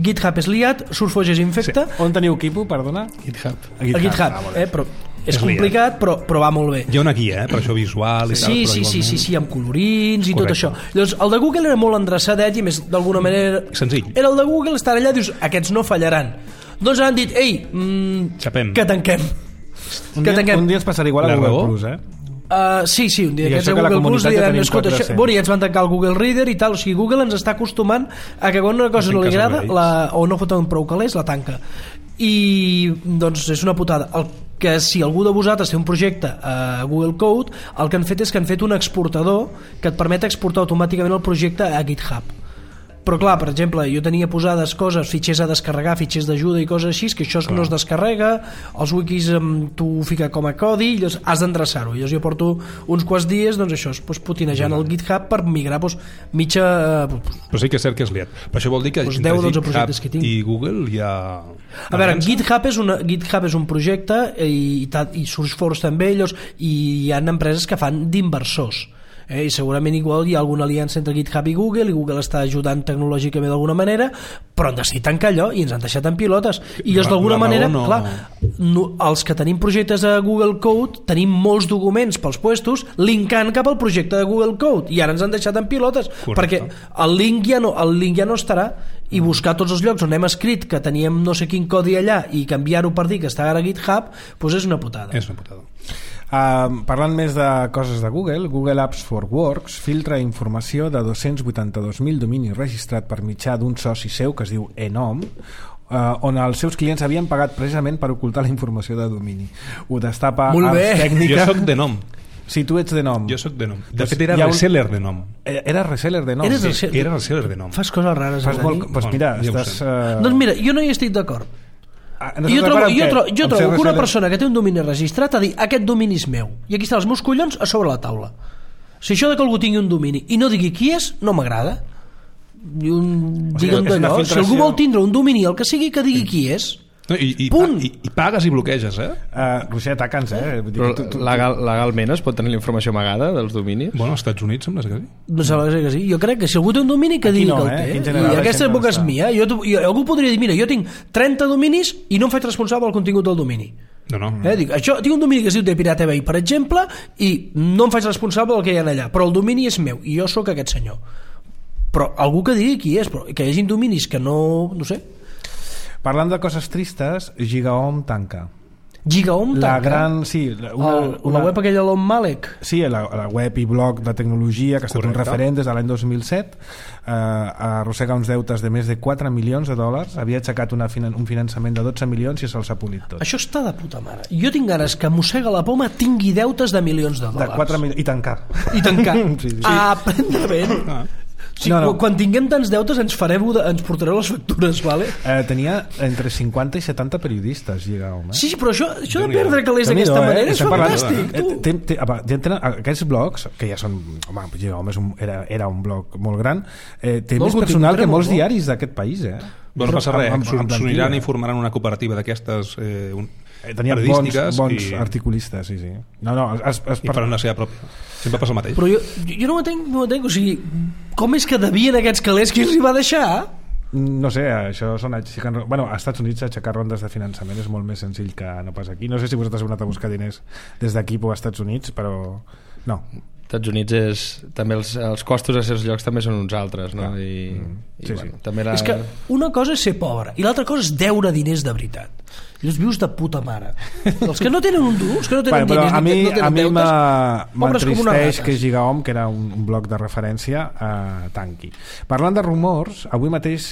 GitHub és liat, SourceForge és infecta. On teniu Quipo, perdona? GitHub, però és complicat, però va molt bé. Hi ha una guia, per això visual i tal. Sí, amb colorins i tot això. Llavors, el de Google era molt endreçadet i més d'alguna manera... Senzill. Era el de Google, estar allà, dius, aquests no fallaran. Doncs han dit, ei, que tanquem. Un dia ens passarà igual a Google Plus, sí, un dia que ets a Google Plus diran, escolta, ja ens van tancar el Google Reader i tal, o sigui, Google ens està acostumant a que quan una cosa no li agrada o no foten prou calés, la tanca, i doncs és una putada. El que si algú de vosaltres té un projecte a Google Code, el que han fet és que han fet un exportador que et permet exportar automàticament el projecte a GitHub. Però clar, per exemple, jo tenia posades coses, fitxers a descarregar, fitxers d'ajuda i coses així, que això no es descarrega, els wikis tu ho fica com a codi i llavors has d'endreçar-ho. Llavors jo porto uns quants dies, doncs això, putinejant el GitHub per migrar mitja... Però sí que és cert que és liat. Però això vol dir que entre GitHub i Google hi ha... A veure, GitHub és un projecte i SourceForge també, i hi ha empreses que fan d'inversors. I segurament igual hi ha alguna aliança entre GitHub i Google està ajudant tecnològicament d'alguna manera, però han decidit tancar allò i ens han deixat en pilotes, i llavors d'alguna manera els que tenim projectes a Google Code tenim molts documents pels puestos linkant cap al projecte de Google Code i ara ens han deixat en pilotes. Correcte. Perquè el link ja no estarà, i buscar tots els llocs on hem escrit que teníem no sé quin codi allà i canviar-ho per dir que està ara a GitHub, doncs és una putada. Parlant més de coses de Google Apps for Works filtra informació de 282.000 dominis registrats per mitjà d'un soci seu que es diu Enom, on els seus clients havien pagat precisament per ocultar la informació de domini. Ho destapa Apps Tècnica. Jo soc d'Enom. Si tu ets d'Enom. Jo soc d'Enom. De fet, era reseller d'Enom. Era reseller d'Enom? Sí, era reseller d'Enom. Fas coses rares. Doncs mira, doncs mira, jo no hi estic d'acord. Jo trobo que una persona que té un domini registrat ha dit, aquest domini és meu i aquí estan els meus collons a sobre la taula. Si això de que algú tingui un domini i no digui qui és, no m'agrada. Digue'm d'allò, si algú vol tindre un domini, el que sigui, que digui qui és. I pagues i bloqueges, Roger, ataca'ns, Però legalment es pot tenir la informació amagada dels dominis? Bueno, als Estats Units sembla que sí. No sembla que sí. Jo crec que si algú té un domini que digui que el té, i aquesta boca és mia. Algú podria dir, mira, jo tinc 30 dominis i no em faig responsable del contingut del domini. Tinc un domini que es diu The Pirate Bay, per exemple, i no em faig responsable del que hi ha allà, però el domini és meu i jo sóc aquest senyor. Però algú que digui qui és, però que hi hagi dominis que no sé. Parlant de coses tristes, GigaOM tanca. GigaOM tanca? La gran, sí. La web aquella de l'Om Malek? Sí, la web i blog de tecnologia que ha estat un referent des de l'any 2007, arrossega uns deutes de més de 4 milions de dòlars, havia aixecat un finançament de 12 milions i se'ls ha polit tot. Això està de puta mare. Jo tinc ganes que Mossega la Poma tingui deutes de milions de dòlars. De 4 milions, i tancar. Sí. Prendament. Quan tinguem tants deutes ens portareu les factures, vale? Tenia entre 50 i 70 periodistes, GigaOM. Sí, però això de perdre calés d'aquesta manera és fantàstic. Aquests blogs, que ja són... Home, GigaOM era un blog molt gran, té més personal que molts diaris d'aquest país, No passa res, s'uniran i formaran una cooperativa d'aquestes tenia bons articulistes, sí. I faran la seva pròpia. Sempre passa el mateix. Però jo no ho entenc, o sigui, com és que devien aquests calés, qui els hi va deixar? No sé, això són bueno, als Estats Units aixecar rondes de finançament és molt més senzill que no pas aquí. No sé si vosaltres heu anat a buscar diners des d'aquí o als Estats Units, però no. Estats Units també els costos a certs llocs també són uns altres, no? És que una cosa és ser pobre i l'altra cosa és deure diners de veritat. I els vius de puta mare. Els que no tenen un dur, els que no tenen diners, a mi pobres com unes m'entristeix rates. que Gigaom, que era un blog de referència, tanqui. Parlant de rumors, avui mateix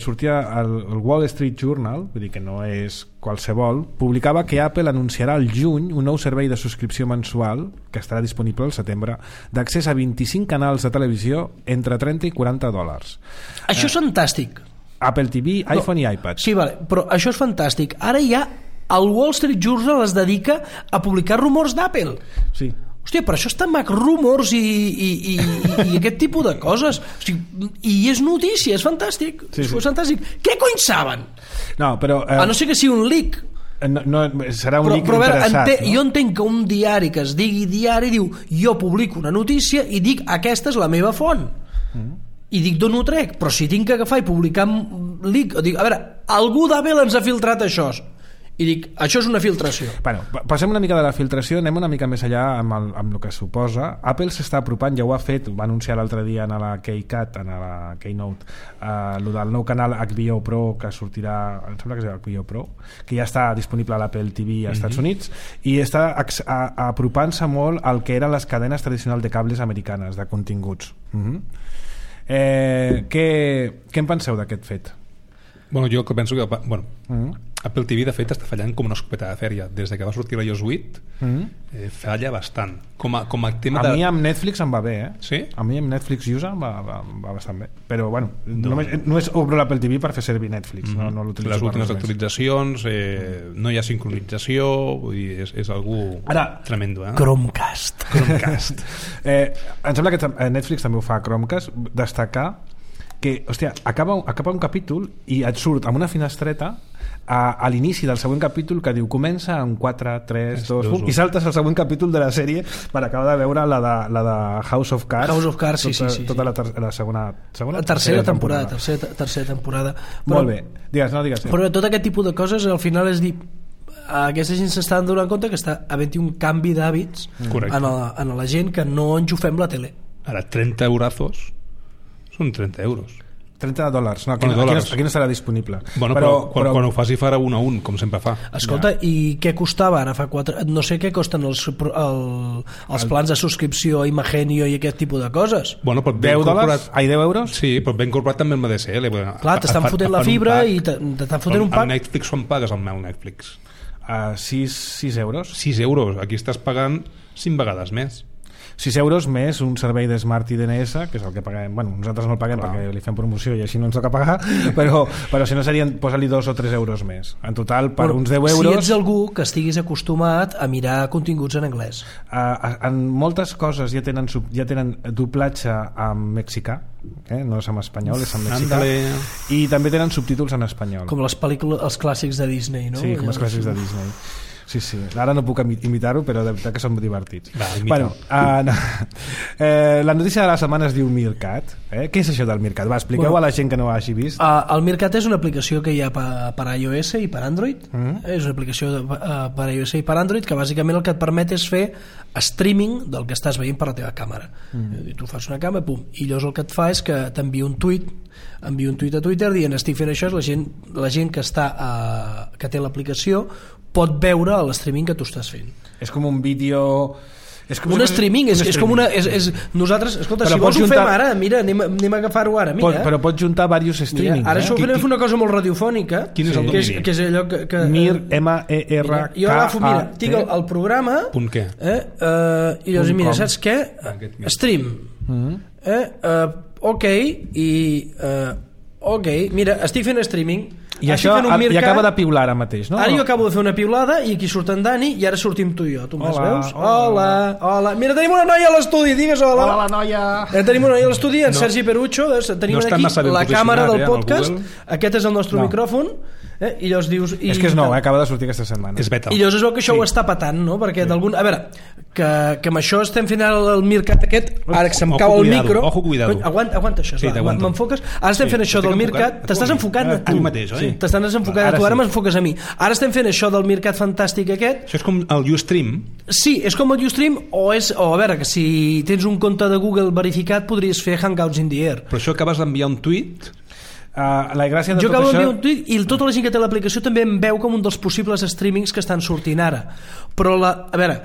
sortia el Wall Street Journal, vull dir que no és qualsevol, publicava que Apple anunciarà al juny un nou servei de subscripció mensual, que estarà disponible al setembre, d'accés a 25 canals de televisió entre 30 i 40 dòlars. Això és fantàstic. Apple TV, iPhone i iPad. Sí, vale, però això és fantàstic. Ara ja el Wall Street Journal es dedica a publicar rumors d'Apple. Sí. Hòstia, per això està Mac Rumors i aquest tipus de coses. O sigui, i és notícia, és fantàstic. Sí, sí. És fantàstic. Què cony saben? No, però... A no ser que sigui un leak. No, serà un leak però a veure, interessat. jo entenc que un diari que es digui diari diu jo publico una notícia i dic aquesta és la meva font. I dic d'on ho trec, però si tinc que agafar i publicar leak, dic, a veure, algú d'Apple ens ha filtrat això, i dic, això és una filtració. Bueno, passem una mica de la filtració, anem una mica més allà amb el que suposa. Apple s'està apropant, ja ho ha fet, ho va anunciar l'altre dia en la Keycat, en la Keynote, el del nou canal HBO Pro que sortirà, em sembla que és HBO Pro, que ja està disponible a l'Apple TV als Estats Units, i està apropant-se molt al que eren les cadenes tradicionals de cables americanes, de continguts. Què en penseu d'aquest fet? Bueno, jo que penso que Apple TV de fet està fallant com una escopeta de fèria. Des que va sortir l'iOS 8 falla bastant com a tema a mi amb Netflix em va bé, Sí? A mi amb Netflix USA em va bastant bé, però bueno, només obro l'Apple TV per fer servir Netflix, no l'utilitzo. Les últimes actualitzacions, no hi ha sincronització, vull dir, és algú tremendo, Chromecast. Em sembla que Netflix també ho fa a Chromecast. Destacar que, hòstia, acaba un capítol i et surt amb una finestreta a l'inici del següent capítol que diu comença en 4, 3, 2, 1 i saltes al següent capítol de la sèrie per acabar de veure la de House of Cards. House of Cards, sí. Tota la segona tercera temporada. Tercera temporada. Molt bé. Digues. Però tot aquest tipus de coses al final és dir, aquesta gent s'està donant compte que està havent-hi un canvi d'hàbits en la gent, que no enxufem la tele. Ara 30 eurazos són 30 euros. 30 dòlars. No, aquí no estarà disponible. Bueno, però quan ho faci farà 1 a 1, com sempre fa. Escolta, i què costava ara fa 4... No sé què costen els plans de subscripció a Imagenio i aquest tipus de coses. Bueno, però 10 dòlars? Ai, 10 euros? Sí, però ben incorporat també el MDSL. Clar, t'estan fotent la fibra i t'estan fotent un pack. Al Netflix quan pagues el meu Netflix? 6 euros. 6 euros. Aquí estàs pagant 5 vegades més. 6 euros més un servei de Smart i DNS, que és el que paguem. Bueno, nosaltres no el paguem perquè li fem promoció i així no ens toca pagar, però si no serien, posa-li 2 o 3 euros més. En total, per uns 10 euros... Si ets algú que estiguis acostumat a mirar continguts en anglès. En moltes coses ja tenen doblatge en mexicà, no és en espanyol, és en mexicà. I també tenen subtítols en espanyol. Com les pel·lícules, els clàssics de Disney, no? Sí, com els clàssics de Disney. Sí. Ara no puc imitar-ho, però de veritat que són divertits. La notícia de la setmana es diu Meerkat. Què és això del Meerkat? Expliqueu a la gent que no ho hagi vist. El Meerkat és una aplicació que hi ha per iOS i per Android. És una aplicació per iOS i per Android que bàsicament el que et permet és fer streaming del que estàs veient per la teva càmera. Tu fas una càmera, pum, i llavors el que et fa és que t'envia un tuit a Twitter dient estic fent això, la gent que té l'aplicació pot veure l'streaming que tu estàs fent. És com un vídeo... Un streaming, és com una... Nosaltres, escolta, si vols ho fem ara, mira, anem a agafar-ho ara, mira. Però pots juntar diversos streamings. Ara això ho farem una cosa molt radiofònica. Quin és el domini? Que és allò que... M-E-R-K-A... Jo agafo, mira, tinc el programa... Punt què? I llavors, mira, saps què? Stream. Ok, mira, estic fent streaming. I això i acaba de piular ara mateix, no? Ara jo acabo de fer una piulada i aquí surt en Dani i ara sortim tu i jo. Tu me'ls veus? Hola. Mira, tenim una noia a l'estudi, digues hola. Hola, la noia. Tenim una noia a l'estudi, en Sergi Perucho. Tenim aquí la càmera del podcast. Aquest és el nostre micròfon. I llavors dius... És que és nou, acaba de sortir aquesta setmana. És beta. I llavors es veu que això ho està patant, no? Perquè d'algun... A veure, que amb això estem fent el Meerkat aquest, ara que se'm cau el micro... Ojo, cuidado. Aguanta això, m'enfoques? Ara estem fent això del Meerkat... T'estàs enfocant a tu. T'estàs enfocant a tu, ara m'enfoques a mi. Ara estem fent això del Meerkat fantàstic aquest. Això és com el Ustream? Sí, és com el Ustream, o a veure, que si tens un compte de Google verificat podries fer Hangouts in the Air. Però això acabes d'enviar un tuit... La gràcia de jo tot acabo això... d'enviar un tuit i tota la gent que té l'aplicació també em veu com un dels possibles streamings que estan sortint ara, però a veure,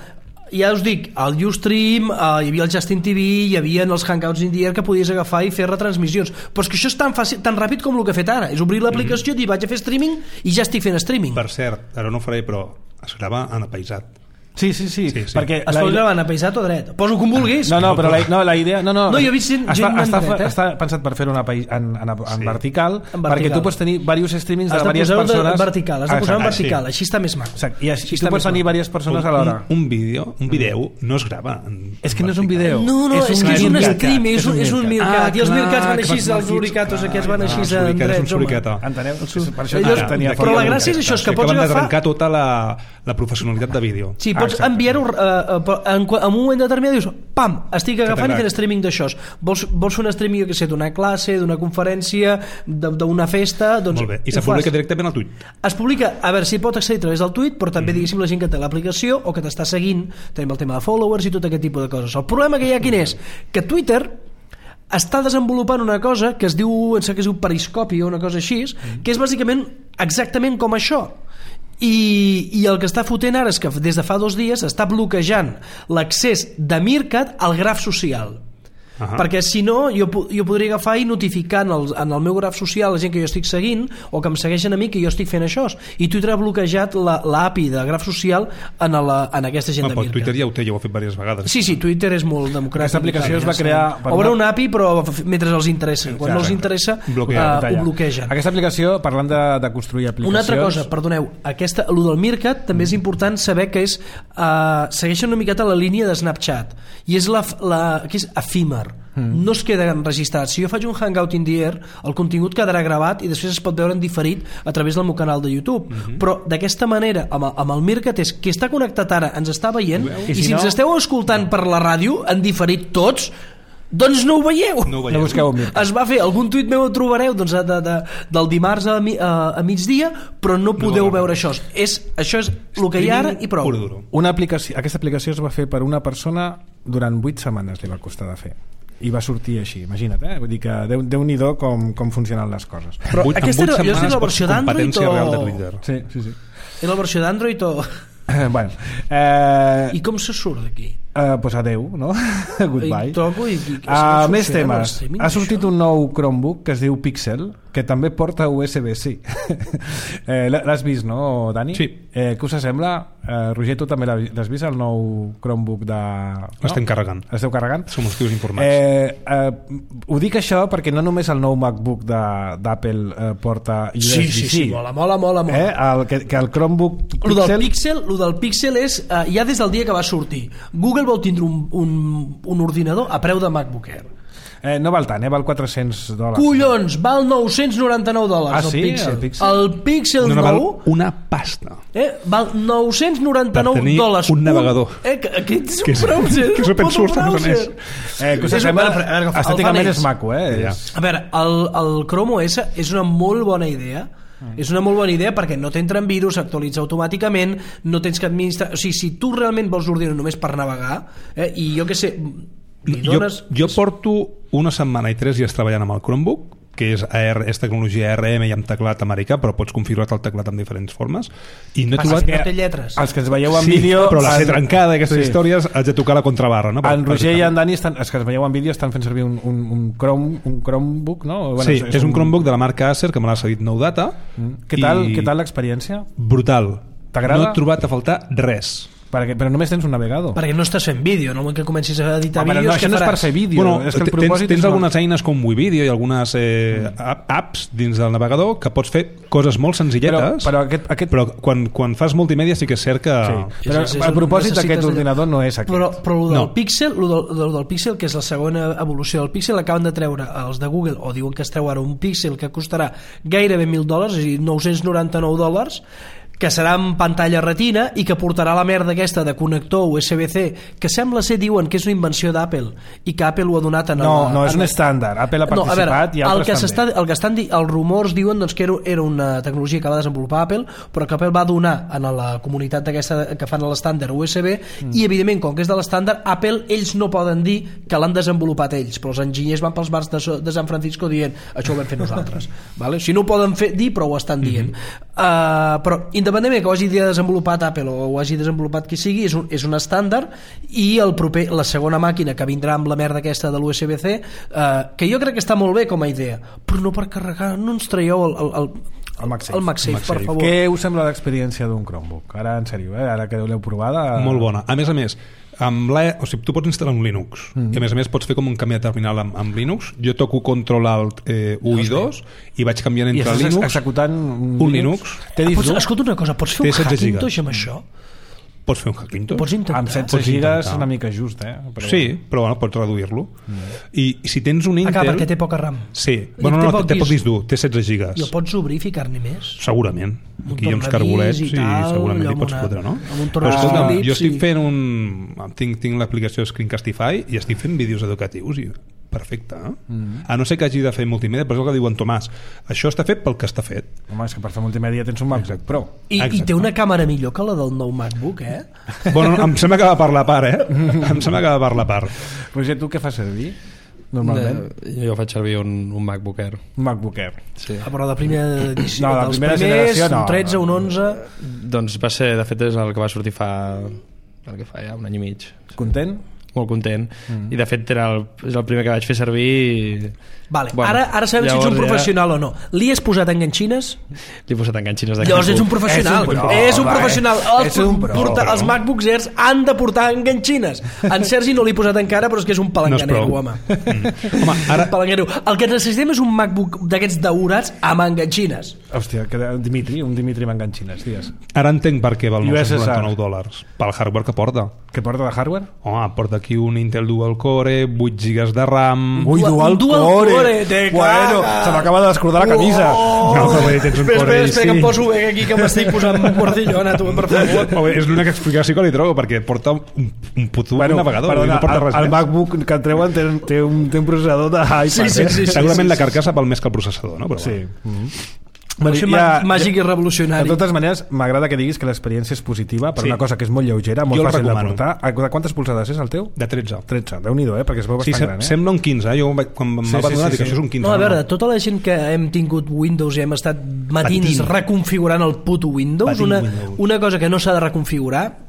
ja us dic, al Ustream hi havia el Justin TV, hi havia els Hangouts in the Air que podies agafar i fer retransmissions, però és que això és tan fàcil, tan ràpid com el que he fet ara, és obrir l'aplicació, dir vaig a fer streaming i ja estic fent streaming. Per cert, ara no ho faré, però es grava en apaisat. Sí, perquè es pot gravar en apaisat o dret, poso com vulguis. No, però la idea... No, jo he vist gent està pensat per fer-ho en vertical, perquè tu pots tenir diversos streamings de diverses persones. Has de posar en vertical, així està més maco. I així tu pots tenir diverses persones alhora. Un vídeo no es grava. És que no és un vídeo. No, és que és un stream, és un Mircat, i els Mircats van així, els Luricatos aquests van així en drets. Enteneu? Per això tenia... Però la gràcia és això, és que pots agafar... d'arrencar tota la professionalitat de vídeo. Sí, pots enviar-ho en un moment determinat, dius pam, estic agafant i fent streaming d'això. Vols fer un streaming, jo què sé, d'una classe, d'una conferència, d'una festa, doncs... Molt bé, i se publica directament al tuit? Es publica, a veure, si pot accedir a través del tuit, però també diguéssim la gent que té l'aplicació o que t'està seguint, tenim el tema de followers i tot aquest tipus de coses. El problema que hi ha quin és? Que Twitter està desenvolupant una cosa que es diu, em sembla que es diu periscopi o una cosa així, que és bàsicament exactament com això. I el que està fotent ara és que des de fa 2 dies està bloquejant l'accés de Mircat al graf social. Perquè si no jo podria agafar i notificar en el meu graf social la gent que jo estic seguint o que em segueixen a mi que jo estic fent això, i Twitter ha bloquejat l'API de graf social en aquesta gent de Mircat. Twitter ja ho té, ja ho ha fet diverses vegades. Sí, Twitter és molt democràtic. Aquesta aplicació es va crear... Obre una API però mentre els interessa, quan no els interessa ho bloquegen. Aquesta aplicació, parlant de construir aplicacions... Una altra cosa, perdoneu, el del Mircat també és important saber que segueixen una miqueta la línia de Snapchat i és que és efímer, no es queda enregistrat. Si jo faig un Hangout in the Air, el contingut quedarà gravat i després es pot veure en diferit a través del meu canal de YouTube, però d'aquesta manera amb el Mircat és que està connectat ara, ens està veient, i si ens esteu escoltant per la ràdio en diferit tots, doncs no ho veieu. No busqueu es va fer, algun tuit meu ho trobareu del dimarts a migdia, però no podeu veure això. Això és el que hi ha ara i prou. Aquesta aplicació es va fer per una persona durant 8 setmanes, li va costar de fer i va sortir així, imagina't, vull dir que Déu-n'hi-do com funcionen les coses. Però aquesta jo és la versió d'Android o... Sí. És la versió d'Android o... Bueno, i com se surt d'aquí? Pues adeu, no? Goodbye. Més temes. Ha sortit un nou Chromebook que es diu Pixel, que també porta USB-C. L'has vist, no, Dani? Sí. Què us sembla? Roger, tu també l'has vist, el nou Chromebook de... L'estem carregant. L'esteu carregant? Som els tios informats. Ho dic això perquè no només el nou MacBook d'Apple porta USB-C. Sí, mola. Que el Chromebook Pixel... Lo del Pixel és ja des del dia que va sortir. Google vol tindre un ordinador a preu de MacBook Air. No val tant, val $400. Collons, val $999 el Pixel. El Pixel nou val una pasta. Val $999 per tenir un navegador. Aquest és un browser. Que és open source, a més. Estèticament és maco, A veure, el Chrome OS és una molt bona idea. És una molt bona idea perquè no t'entren virus, s'actualitza automàticament, no tens que administrar... O sigui, si tu realment vols l'ordinador només per navegar, i jo què sé... Jo porto una setmana i 3 dies treballant amb el Chromebook, que és tecnologia ARM i amb teclat americà, però pots configurar el teclat amb diferents formes, i no he trobat... Que no té lletres. Els que ens veieu en vídeo... però la sé trencada, aquestes històries, haig de tocar la contrabarra, no? En Roger i en Dani, els que ens veieu en vídeo, estan fent servir un Chromebook, no? Sí, és un Chromebook de la marca Acer, que me l'ha cedit Nou Data. Què tal l'experiència? Brutal. T'agrada? No he trobat a faltar res. Però només tens un navegador. Perquè no estàs fent vídeo, no? Que comencis a editar vídeos, no, això no és per fer vídeo. És que tens algunes eines com WeVideo i algunes apps dins del navegador que pots fer coses molt senzilletes, però quan fas multimèdia sí que és cert que... Sí. Però el propòsit d'aquest ordinador no és aquest. Però el del Pixel, el del Pixel, que és la segona evolució del Pixel, acaben de treure els de Google, o diuen que es treu ara un Pixel que costarà gairebé $1.000, és a dir, $999, que serà en pantalla retina i que portarà la merda aquesta de connector USB-C, que sembla ser, diuen, que és una invenció d'Apple i que Apple ho ha donat en... No, és un estàndard. Apple ha participat i altres també. Els rumors diuen doncs, que era una tecnologia que va desenvolupar Apple, però que Apple va donar a la comunitat d'aquesta que fan l'estàndard USB i, evidentment, com que és de l'estàndard, Apple, ells no poden dir que l'han desenvolupat ells, però els enginyers van pels bars de San Francisco dient això ho vam fer nosaltres. Vale? Si no ho poden dir, però ho estan dient. Però independentment que ho hagi desenvolupat Apple o ho hagi desenvolupat qui sigui, és un estàndard, i la segona màquina que vindrà amb la merda aquesta de l'USB-C, que jo crec que està molt bé com a idea, però no per carregar, no ens traieu el MagSafe, per favor. Què us sembla l'experiència d'un Chromebook? Ara, en sèrio, ara que l'heu provada... Molt bona. A més, tu pots instal·lar un Linux i a més pots fer com un canvi de terminal amb Linux. Jo toco Control Alt 1 i 2 i vaig canviant entre Linux. I executant un Linux. Escolta una cosa, pots fer un Hackintosh amb això? Pots fer un Hackintosh. Pots intentar. Amb 16 gigas una mica just, Però... Sí, però bueno, pots reduir-lo. I si tens un Intel... perquè té poca RAM. Sí, té poc disc dur, té 16 gigas. I el pots obrir i ficar-ne més? Segurament. Aquí hi ha uns cargolets i segurament hi pots fotre, no? Però escolta, jo estic fent tinc l'aplicació Screencastify i estic fent vídeos educatius i perfecte, a no ser que hagi de fer multimèdia, però és el que diu en Tomàs, això està fet pel que està fet. Home, és que per fer multimèdia tens un MacBook Pro i té una càmera millor que la del nou MacBook, Bueno, em sembla que va per la part, em sembla que va per la part. Roger, tu què fas servir normalment? Jo faig servir un MacBook Air. Un MacBook Air, sí. Però de primera edició, no, dels primers, un 13, un 11... Doncs va ser, de fet és el que va sortir fa ja un any i mig. Content? Molt content, i de fet és el primer que vaig fer servir. Vale. Bueno, ara sabem si ets un professional o no. Li has posat enganxines? Li he posat enganxines de llavors ets un professional. És un professional. Els MacBooks Airs han de portar enganxines. En Sergi no l'he posat encara, però és que és un palanganero, home. Home, ara... El que necessitem és un MacBook d'aquests daurats amb enganxines. Hòstia, un Dimitri amb enganxines, digues. Ara entenc per què val $999 pel hardware que porta. Què porta de hardware? Home, porta aquí un Intel Dual Core, 8 GB de RAM... Ui, Dual Core! Bueno, se m'acaba de descordar la camisa. No, però bé, tens un Core i que em poso bé aquí, que m'estic posant guardillona, tu, per favor. És l'única explicació que li trobo, perquè porta un puto navegador. Perdona, no porta res el MacBook que et treuen té un processador d'iPad. Sí. Segurament la carcassa val més que el processador, no? Però sí. Màgic i revolucionari. De totes maneres, m'agrada que diguis que l'experiència és positiva per una cosa que és molt lleugera, molt fàcil de portar. Quantes polzades és el teu? De 13. 13, Déu-n'hi-do, perquè es veu bastant gran. Sembla un 15, jo quan em va donar dic, això és un 15. No, a veure, tota la gent que hem tingut Windows i hem estat matins reconfigurant el puto Windows, una cosa que no s'ha de reconfigurar,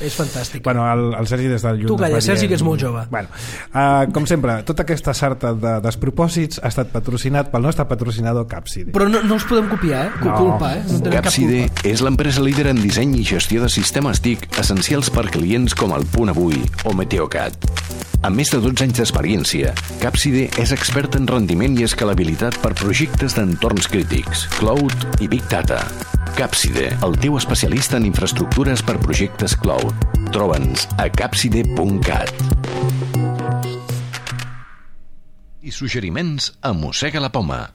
és fantàstic. Bueno, el Sergi des del lluny... Tu calla, Sergi, que és molt jove. Bueno, com sempre, tota aquesta sarta de despropòsits ha estat patrocinat pel nostre patrocinador Capside. Però no els podem copiar, culpa, Capside és l'empresa líder en disseny i gestió de sistemes TIC essencials per clients com el Punt Avui o Meteocat. Amb més de 12 anys d'experiència, Capside és expert en rendiment i escalabilitat per projectes d'entorns crítics, cloud i Big Data. Capside, el teu especialista en infraestructures per projectes cloud. Troba'ns a capside.cat. I suggeriments a Mossega la Poma.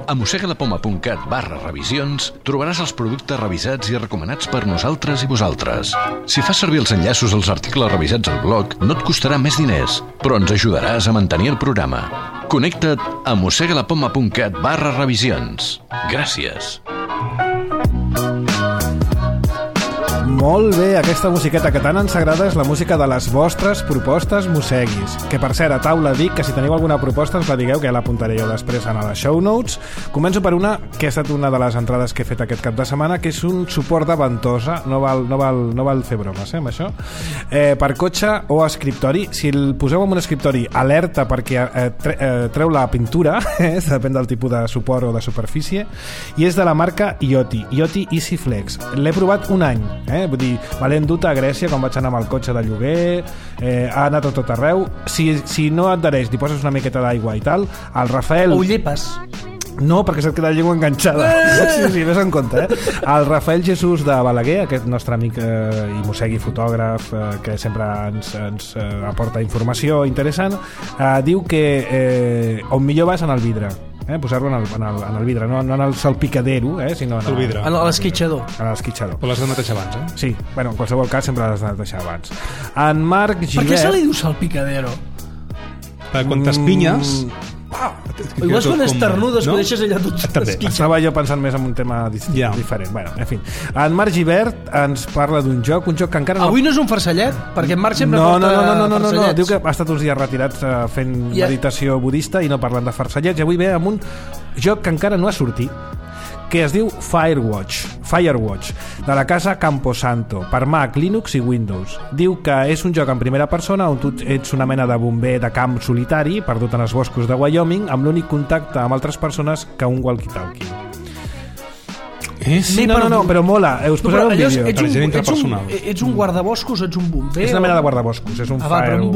A mossegalapoma.cat/revisions trobaràs els productes revisats i recomanats per nosaltres i vosaltres. Si fas servir els enllaços als articles revisats al blog, no et costarà més diners, però ens ajudaràs a mantenir el programa. Connecta't a mossegalapoma.cat/revisions. Gràcies. Molt bé, aquesta musiqueta que tant ens agrada és la música de les vostres propostes mosseguis. Que, per cert, a taula dic que si teniu alguna proposta ens la digueu, que ja l'apuntaré jo després en les show notes. Començo per una que ha estat una de les entrades que he fet aquest cap de setmana, que és un suport de ventosa. No val fer bromes, amb això. Per cotxe o escriptori. Si el poseu en un escriptori, alerta perquè treu la pintura, depèn del tipus de suport o de superfície, i és de la marca Ioti Easy Flex. L'he provat un any, vull dir, me l'he endut a Grècia quan vaig anar amb el cotxe de lloguer, ha anat a tot arreu. Si no et adhereix, li poses una miqueta d'aigua i tal, el Rafael... O ho llepes. No, perquè se't queda la llengua enganxada. Sí, ves en compte, El Rafael Jesús de Balaguer, aquest nostre amic i mossegui fotògraf, que sempre ens aporta informació interessant, diu que on millor va és en el vidre. posar-lo en el vidre, no en el salpicadero, sinó en el vidre, en l'esquitxador. Però l'has de netejar abans, Sí, bueno, en qualsevol cas sempre l'has de netejar abans. En Marc Givert... Per què se li diu salpicadero? Perquè quan t'espinyes... Igual és quan esternudes, que deixes allà tot esquitxat. Estava jo pensant més en un tema diferent. Bueno, en fi. En Marc Givert ens parla d'un joc que encara no... Avui no és un farcellet, perquè en Marc sempre porta farcellets. No, diu que ha estat uns dies retirats fent meditació budista i no parlant de farcellets, i avui ve amb un joc que encara no ha sortit, que es diu Firewatch, de la casa Camposanto, per Mac, Linux i Windows. Diu que és un joc en primera persona on tu ets una mena de bomber de camp solitari perdut en els boscos de Wyoming, amb l'únic contacte amb altres persones que un walkie-talkie. Sí, no, però mola. Us posaré un vídeo. Ets un guardaboscos, ets un bomber? És una mena de guardaboscos, és un però un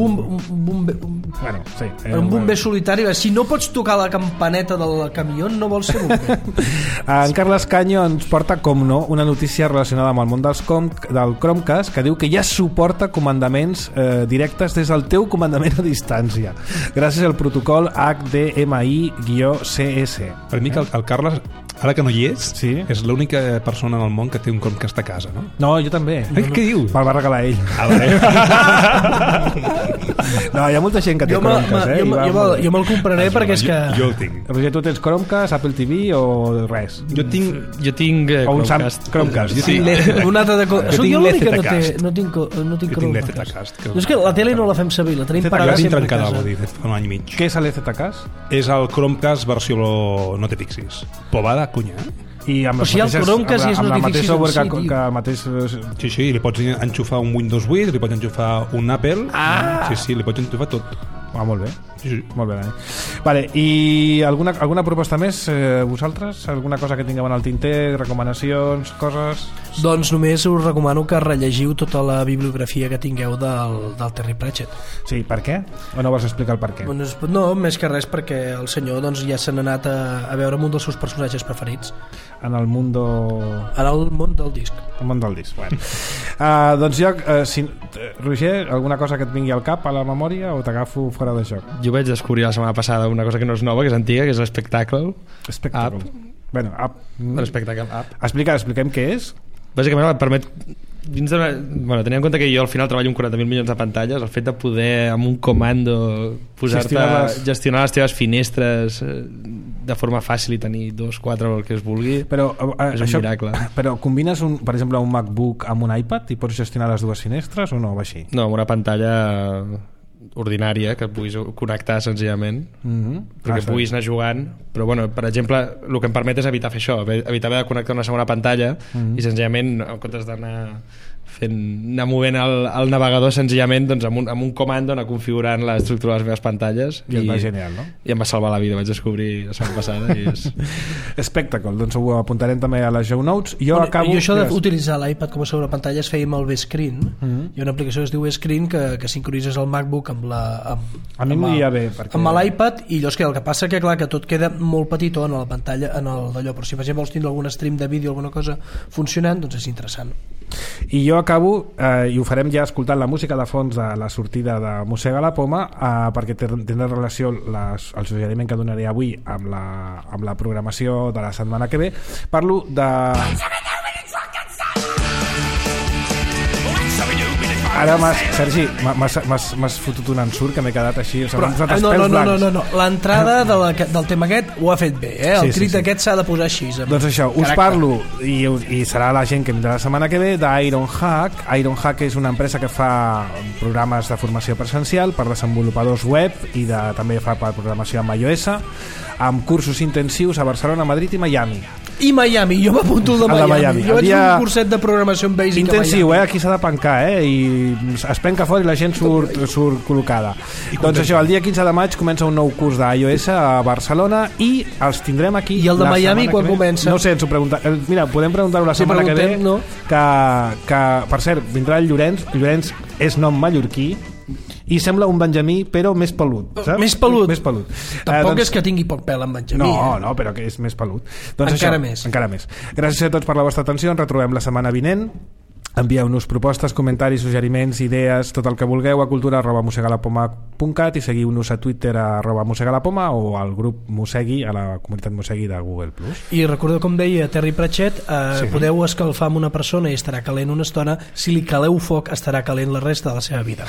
bomber... Bueno, sí. Un bomber solitari. Si no pots tocar la campaneta del camió, no vols ser bomber. En Carles Canyo ens porta, com no, una notícia relacionada amb el món del Chromecast, que diu que ja suporta comandaments directes des del teu comandament a distància, gràcies al protocol HDMI-CS. Per mi que el Carles, ara que no hi és, és l'única persona en el món que té un Chromecast a casa, no? No, jo també. Què dius? Me'l va regalar ell. No, hi ha molta gent que té Chromecast, Jo me'l compraré perquè és que... Jo el tinc. Roger, tu tens Chromecast, Apple TV o res? Jo tinc Chromecast. Chromecast. Un altre de... Soc jo l'únic que no tinc Chromecast. És que la tele no la fem servir, la tenim parada sempre a casa. Vol dir, fa un any i mig. Què és l'EZCast? És el Chromecast versió no te fixis. Povada, cunya, I amb el Chromecast és amb el mateix software que el mateix... Sí, li pots enxufar un Windows 8, li pots enxufar un Apple. Sí, li pots enxufar tot. Molt bé. Sí. Molt bé, Dani. Vale, i alguna proposta més, vosaltres? Alguna cosa que tingueu en el tinter, recomanacions, coses? Doncs només us recomano que rellegiu tota la bibliografia que tingueu del Terry Pratchett. Sí, per què? O no vols explicar el per què? No, més que res perquè el senyor ja s'ha anat a veure un dels seus personatges preferits. En el món del disc. El món del disc, bueno. Doncs jo, Roger, alguna cosa que et vingui al cap a la memòria o t'agafo fora de joc? Jo vaig descobrir la setmana passada una cosa que no és nova, que és antiga, que és l'Spectacle App. Bueno, app. L'Spectacle App. Expliquem què és. Bàsicament et permet tenint en compte que jo al final treballo amb 40.000 milions de pantalles, el fet de poder amb un comando gestionar les teves finestres de forma fàcil i tenir 2, 4 el que es vulgui, és un miracle. Però combines per exemple un MacBook amb un iPad i pots gestionar les dues finestres o no va així? No, amb una pantalla ordinària que puguis connectar senzillament perquè puguis anar jugant, però bueno, per exemple el que em permet és evitar fer això, evitar haver de connectar una segona pantalla i senzillament en comptes d'anar anar movent el navegador senzillament doncs, amb un comando anar configurant l'estructura de les meves pantalles i va genial, no? I em va salvar la vida, vaig descobrir la setmana passada i és... Spectacle, doncs ho apuntarem també a les show notes. Jo això d'utilitzar l'iPad com a sobrepantalla es feia amb el V-Screen. Hi ha una aplicació que es diu V-Screen que sincronitzes el MacBook amb l'iPad i llavors el que passa que clar que tot queda molt petitó en la pantalla d'allò, però si per exemple vols tindre algun stream de vídeo o alguna cosa funcionant, doncs és interessant. I jo acabo, i ho farem ja escoltant la música de fons de la sortida de Mossega la Poma, perquè tindrà relació el suggeriment que donaré avui amb la programació de la setmana que ve. Parlo de... Ara, Sergi, m'has fotut un ensurt que m'he quedat així. No. L'entrada del tema aquest ho ha fet bé, el crit aquest s'ha de posar així. Doncs això, us parlo, i serà la gent que vindrà la setmana que ve, d'Ironhack. Ironhack és una empresa que fa programes de formació presencial per desenvolupadors web i també fa programació amb iOS, amb cursos intensius a Barcelona, Madrid i Miami. Jo m'apunto el de Miami. Jo vaig fer un curset de programació en Basic intensiu, aquí s'ha de pencar, i es penca fort i la gent surt col·locada. Doncs això, el dia 15 de maig comença un nou curs d'iOS a Barcelona i els tindrem aquí. I el de Miami quan comença? No sé, ens ho preguntem. Mira, podem preguntar-ho la setmana que ve, que per cert, vindrà el Llorenç. Llorenç és nom mallorquí i sembla un Benjamí però més pelut, saps? Més pelut. Tampoc doncs... és que tingui poc pèl en Benjamí. No, però que és més pelut. Encara més. Gràcies a tots per la vostra atenció, ens retrobem la setmana vinent. Envieu-nos propostes, comentaris, suggeriments, idees, tot el que vulgueu a cultura@mossegalapoma.cat i seguiu-nos a Twitter a @mossegalapoma o al grup Mossegui, a la comunitat Mossegui de Google+. I recordeu, com deia Terry Pratchett, podeu escalfar amb una persona i estarà calent una estona, si li caleu foc estarà calent la resta de la seva vida.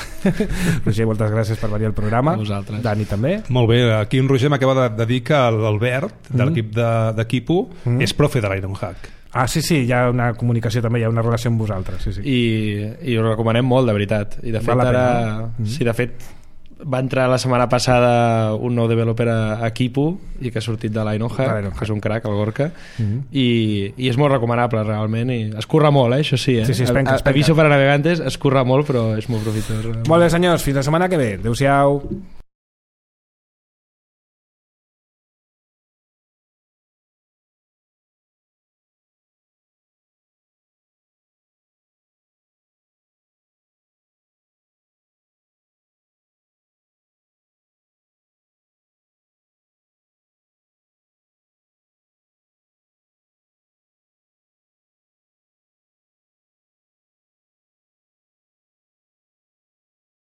Roger, moltes gràcies per venir al programa. A vosaltres. Dani també. Molt bé, aquí en Roger m'acaba de dir que l'Albert de l'equip de Kipu és profe de l'Ironhack. Ah, sí, hi ha una comunicació també, hi ha una relació amb vosaltres, sí. I ho recomanem molt, de veritat. I de fet ara, sí, de fet va entrar la setmana passada un nou developer a Kipu i que ha sortit de l'Ironhack, que és un crack, el Gorka, i és molt recomanable realment, i es curra molt, això sí, Sí, espenca. Aviso per a navegantes, es curra molt, però és molt profitós. Molt bé, senyors, fins la setmana que ve. Adéu-siau.